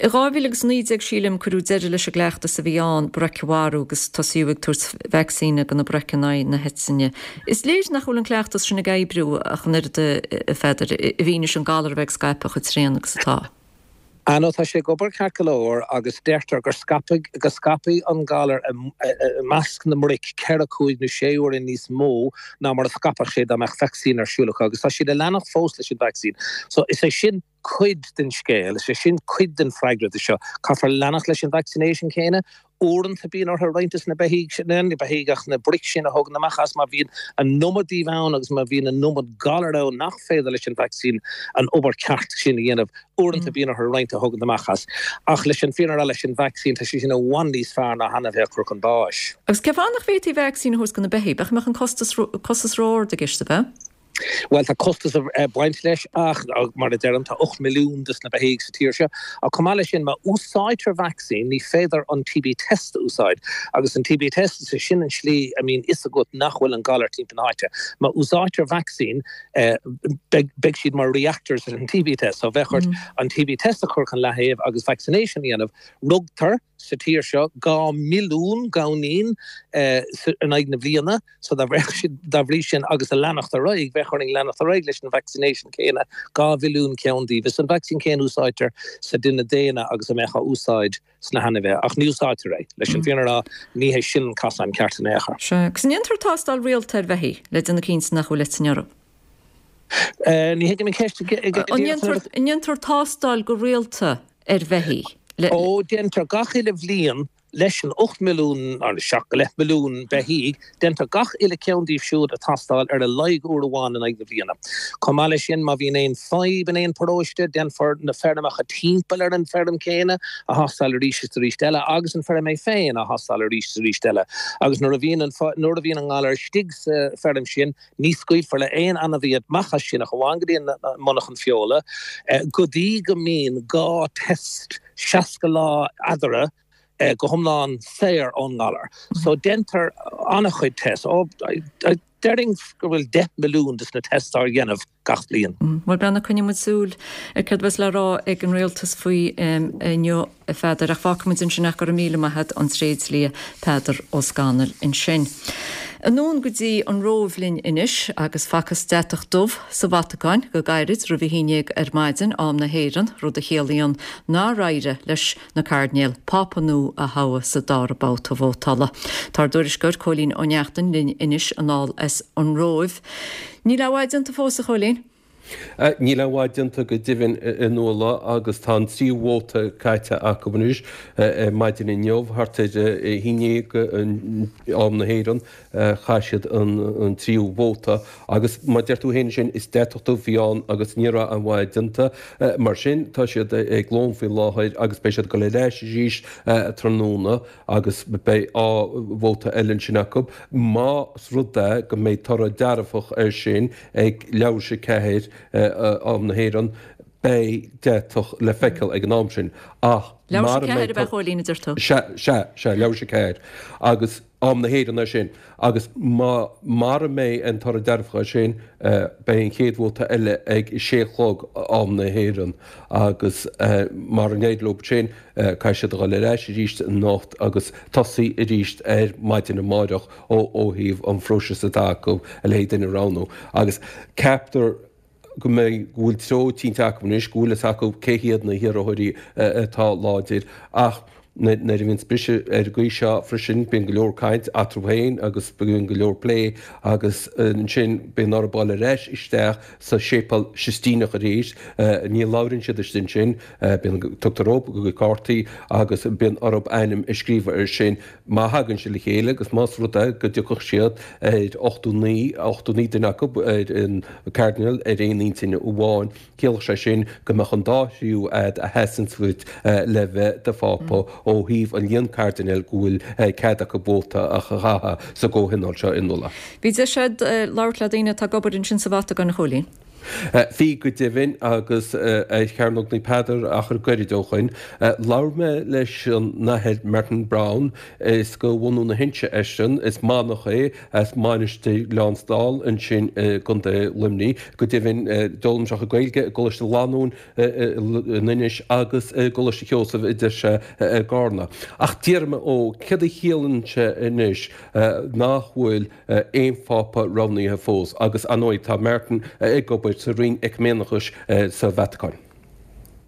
I dhá mhíle agus naoi déag, sílim, cuireadh deireadh leis an gcleachtas a bhí ann broic a mharú agus tosaíodh ag tabhairt vacsaíne do na broic in aghaidh na heitinne. Is léir nach bhfuil an cleachtas sin ag oibriú ach an oiread, a Pheadair, i bhfianaise an galar a bheith ag scaipeadh chomh tréan agus atá. Ah no, tá sé ag obair ceart go leor agus deirtear gur scaipfidh, go scaipfidh an galar i measc na mbroic ceithre, cúig nó sé huaire níos mó ná mar a scaipfeadh sé dá mbeadh vacsaín ar siúl acu agus tá siad ag leanacht fós leis an vacsaín. So is é sin cuid den scéal, is é sin cuid den freagra de seo. Caithfear leanacht leis an vaccination céanna. Uaireanta bíonn orthu roinnt de na beithígh sin, ní beithígh ach na broic sin a thógaint amach as má bhíonn an iomad díobh ann agus má bhíonn an iomad galar ann nach féidir leis an vacsaín an obair ceart sin a dhéanamh. Uaireanta bíonn orthu roinnt a thógaint amach as. Ach leis an fírinne a rá leis an vacsaín tá sé sin i bhfad níos fearr ná hainmhithe a chur chun báis. Agus cén fáth nach bhféadfaí vacsaín a thabhairt do na beithígh? B'fhéidir go mbeadh an costas costas ró-ard i gceist, ab ea? Bhuel, tá costas ag baint leis ach, mar a deirim, tá ocht milliún de na beithígh sa tír seo. Ach chomh maith leis sin, má úsáidtear vacsaín, ní féidir an T B test a úsáid. Agus an T B test, is é sin an slí a mbíonn fhios agat nach bhfuil an galar timpeall na háite. Má úsáidtear vacsaín, beidh siad mar reactors ar an T B test. So bheadh ort an T B test a chur chun leaththaobh agus vaccination a dhéanamh. Rugtar sa tír seo dhá milliún gamhainín in aghaidh na bliana, so dá bhrí sin agus a leanacht ar aghaidh, bheadh orainn leanacht ar aghaidh leis an vaccination céanna, dhá mhilliún ceann díobh. Is an vacsaín céanna a úsáidtear sa duine daonna agus a mbeadh á úsáid sna hainmhithe, ach ní úsáidtear é. Leis an bhfírinne a rá, ní hé sin an cosán ceart in aon chor. Sea, agus an ndéantar tástáil rialta ar bheithígh le déanamh cinnte nach bhfuil eitinn orthu? Ní thuigim an cheist. An ndéantar tástáil go rialta ar bheithígh? Le. Ó, déantar gach uile bhliain leis an ocht milliún, nó seacht go leith milliún beithígh, déantar gach uile ceann díobh siúd a thástáil ar a laghad uair amháin in aghaidh na bliana. Chomh maith leis sin, má bhíonn aon fadhb in aon paróiste, déanfar na feirmeacha timpeall ar an bhfeirm céanna a thástáil arís is arís eile agus an feirm é féin a thástáil arís is arís eile. Agus nuair a bhíonn an, nuair a bhíonn an galar istigh sa feirm sin, Ní scaoilfear le haon ainmhí amach as sin ach amháin go dtí an monarchan feola, go dtí go mbíonn dhá test seasca lá eadarthu go hiomlán saor ón ngalar. So déantar an-chuid test. Déarfainn go bhfuil deich milliún de na tests á dhéanamh gach bliain. Bhuel, breathnaigh, coinneoidh muid súil ar céard a bheas le rá ag an rialtas faoi inniu, a Pheadair, ach fágfaidh muid ansin ach go raibh míle maith a't, an tréidlia Peadar Ó Scanaill ansin. Anonn go dtí an Róimh linn anois agus facthas deatach dubh sa Vatacáin go gairid roimh a haon déag ar maidin, am na hÉireann, rud a chiallaíonn nár éirigh leis na cairdinéil Pápa nua a thoghadh sa dara babhta vótála. Tá ár dtuairisceoir Cóilín Ó Neachtain linn anois anall as an Róimh. Níl a bhfad déanta fós, a Chóilín. Níl a bhfad déanta go deimhin, a Nuala, agus tá an tríú vóta caite acu anois. Ar maidin inniu, thart ar a haon déag am na hÉireann, chaith siad an tríú vóta agus mar a deir tú féin ansin, is deatach dubh a bhí ann agus ní raibh aon mhaith déanta. Mar sin, tá siad ag lón faoi láthair agus beidh siad ag dul ar ais arís tráthnóna agus beidh dhá vóta eile ansin acu. Más rud é go mbeidh toradh dearfach air sin ag leathuair tar éis a ceathair am na hÉireann, beidh deatach le feiceáil ag an am sin. Ach Leathuair tar éis a ceathair ab ea, a Chóilín, a deir tú? Sea, sea, sea, leathuair tar éis a ceathair. Agus am na hÉireann é sin. Agus má, mara mbeidh an toradh dearfach air sin, beidh an chéad vóta eile ag a sé a chlog am na hÉireann. Agus mara n-éirí leo sin, caithfidh siad a dhul ar ais arís anocht agus tosaí arís ar maidin amáireach ó thaobh an phróisis atá acu a leithéid duine a roghnú. Agus ceaptar go mbeidh, go bhfuil treo cinnte acu anois, go bhfuil fhios acu cé hiad na hiarrthóirí atá láidir. Ach nuair a bhíonns briseadh ar an gcaoi seo freisin, bíonn go leor caint eatarthu féin agus bíonn go leor plé agus ansin bíonn orthu dul ar ais isteach sa Séipéal Sistíneach arís. Ní labhraíonn siad istigh ansin, bíonn, tugtar dhóibh a gcuid cártaí agus bíonn orthu ainm a scríobh air sin. Má thagann siad le chéile agus más rud é go dtiocfadh siad ar ochtó naoi, ochtó naoi duine acu ar an Cardinal ar aon intinn amháin, chiallódh sé sin go mbeadh an dá thriú a'd a sheasann suas le bheith do Phápa ó thaobh an líon cairdinéal go bhfuil cead acu vóta a chaitheamh sa gcomhthionól seo in Uladh. Bhí deis agat labhairt le daoine atá ag obair ansin sa Vatacáin, a Chóilín. Bhí go deimhin agus ar Chearnóg Naomh Peadar achar gairid ó shoin, labhair mé leis an Athair Martin Browne, is go bhunú na hInse eisean, is manach é as Mainistir Ghleann Dall ansin i gContae Luimnigh. Go deimhin d'fhoghlaim sé a chuid Gaeilge i gColáiste Lanúin in Inis agus i gColáiste Sheosaimh a deir sé i gCarna. Ach d'iarr mé ó céard a chiallaíonn sé anois nach bhfuil aon phápa roghnaithe fós agus ar ndóigh tá Martin ag obair sa Roinn Eiciméineachais sa Vatacáin.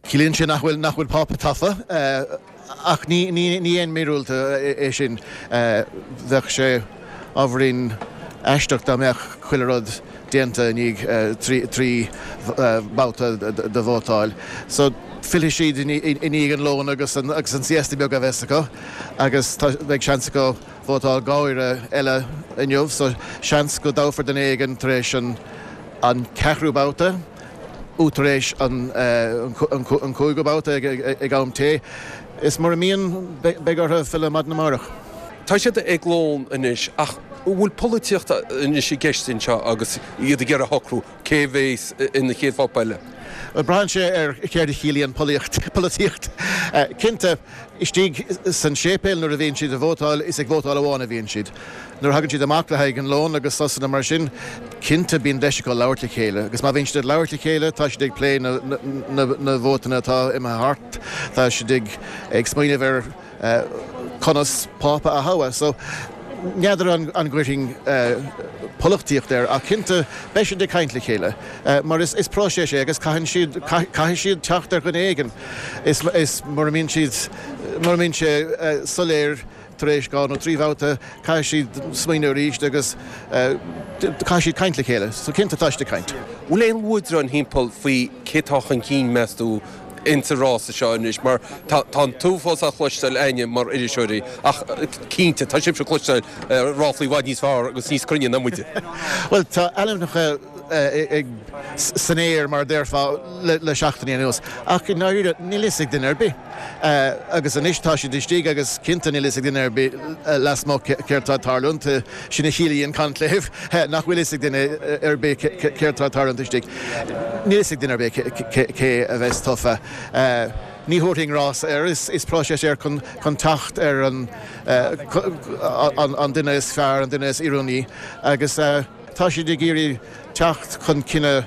Ciallaíonn sé nach bhfuil nach bhfuil pápa tofa ach ní ní ní aon míorúilt é sin. Bheadh sé ábhairín aisteach dá mbeadh chuile rud déanta i ndiaidh trí trí babhta de vótáil. So fillfidh siad i ndiaidh an lóin agus an agus an siesta beag a bheas acu agus tá beidh seans acu vótáil dhá uair eile inniu so seans go dtoghfar duine éigin tar éis an an ceathrú babhta nó tar éis an an cúigiú babhta ag am tae. Is mura mbíonn beidh orthu filleadh maidin amárach. Tá siad ag lón anois ach an bhfuil polaitíocht anois i gceist anseo agus iad ag iarraidh a shocrú cé a bheas ina chéad phápa eile? Bhuel, braitheann sé ar céard a chiallaíonn polaitíocht. Cinnte, istigh san séipéal nuair a bhíonn siad ag vótáil, is ag vótáil amháin a bhíonn siad. Nuair a thagann siad amach le haghaidh an lóin agus sosanna mar sin, cinnte bíonn deis acu labhairt le chéile. Agus má bhíonn siad ag labhairt le chéile, tá siad ag plé na vótanna atá imithe thart, tá siad ag smaoineamh ar conas Pápa a thoghadh. So, n'fheadar an gcuirfinn polaitíocht air ach cinnte beidh siad ag caint le chéile mar is próiseas é agus caitheann siad, caithfidh siad teacht ar dhuine éigin. Is mura mbíonn siad, mura mbíonn sé soiléir tar éis dhá nó trí bhabhta, caithfidh siad smaoineamh arís agus caithfidh siad caint le chéile. So cinnte tá siad ag caint. Bhfuil aon luaidreáin thimpeall faoi cé tá chun cinn, meas tú, insa rása seo anois mar tá an t-uafás á chloisteáil a'inne mar iriseoirí ach cinnte tá sibhse ag cloisteáil ráflaí i bhfad níos fearr agus níos cruinne ná muide. Bhuel tá ainmneacha san aer mar a déarfá le seachtainí anuas ach i ndáiríre níl fhios ag duine ar bith. Agus anois tá siad istigh agus cinnte níl fhios ag duine ar bith lasmuigh céard tá ag tarlúint, sin a chiallaíonn conclave, nach bhfuil fhios ag duine ar bith céard tá ag tarlúint istigh. Níl fhios ag duine ar bith cé a bheas tofa. Ní thabharfainn rás air, is próiseas é chun teacht ar an duine is fearr, an duine is oiriúnaí agus tá siad ag iarraidh teacht chun cinneadh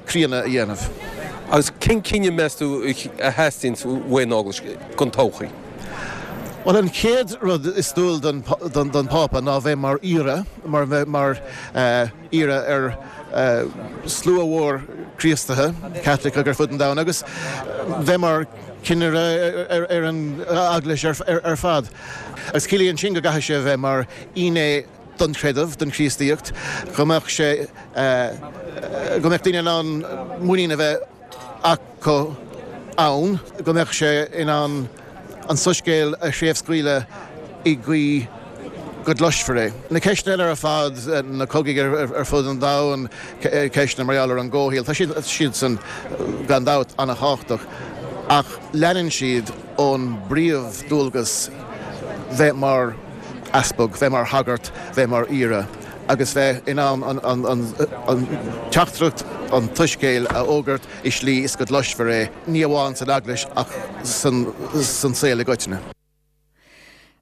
críonna a dhéanamh. Agus cén cinneadh, meas tú, a theastaíonns uaidh an Eaglais don todhchaí? Bhuel, an chéad rud is dual don Phápa ná bheith mar aoire, mar bheith mar aoire ar slua mhór Críostaithe, Caitliceach ar fud an domhain, agus bheith mar chinnire ar an Eaglais ar fad. Agus ciallaíonn sin go gcaithfidh sé a bheith mar fhinné don chreideamh, don Chríostaíocht, go mbeadh sé, go mbeadh daoine in ann muinín a bheith acu ann, go mbeadh sé in ann an soiscéal a chraobhscaoileadh i gcaoi go gcloisfear é. Na ceisteanna eile ar fad, na cogaidh ar fud an domhain, ceisteanna mar gheall ar an gcomhshaol, tá siad siadsan gan dabht an-thábhachtach ach leanann siad ón bpríomhdualgas bheith mar easpag, bheith mar shagart, bheith mar aoire agus bheith in ann an teachtaireacht, an tsoiscéil a fhógairt i slí is go gcloisfear é, ní amháin san Eaglais ach san saol i gcoitinne.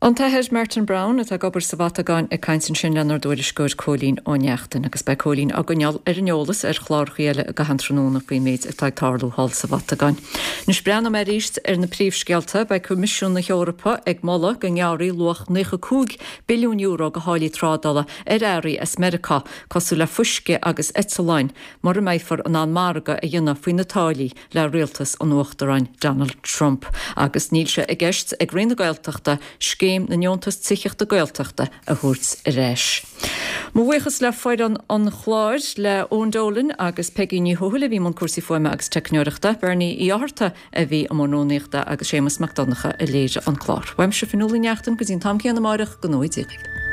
An tAthair Martin Browne atá ag obair sa Vatacáin ag caint ansin lenár dtuairisceoir Cóilín Ó Neachtain agus beidh Cóilín á gcoinneáil ar an eolas ar chláracha eile i gcaitheamh an tráthnóna faoin méid atá ag tarlú thall sa Vatacáin. Anois breathnóidh mé arís ar na príomhscéalta. Beidh Coimisiún na hEorpa ag moladh go ngearrfaí luach naocha cúig billiún euro de tháillí trádála ar earraí as Meiriceá, cosúil le fuisce agus eitleáin, mura mbeifear in ann margadh a dhéanamh faoi na táillí le rialtas an Uachtaráin Donald Trump. Agus níl sé i gceist ag Roinn na Gaeltachta Scéim na nDeontas Tithíochta Gaeltachta a thabhairt ar ais. Mo bhuíochas le foireann an chláir, le Eoin Dolan agus Peigí Ní Thuathail a bhí i mbun cúrsaí fuaime agus teicneoireachta, Bernie Uí Fhátharta a bhí i mbun rúnaíochta agus Séamus Mac Donncha a léirigh an clár. Uaimse Fionnuala Ní Neachtain go dtí an t-am céanna amáireach, go ngnóthaí Dia dhaoibh.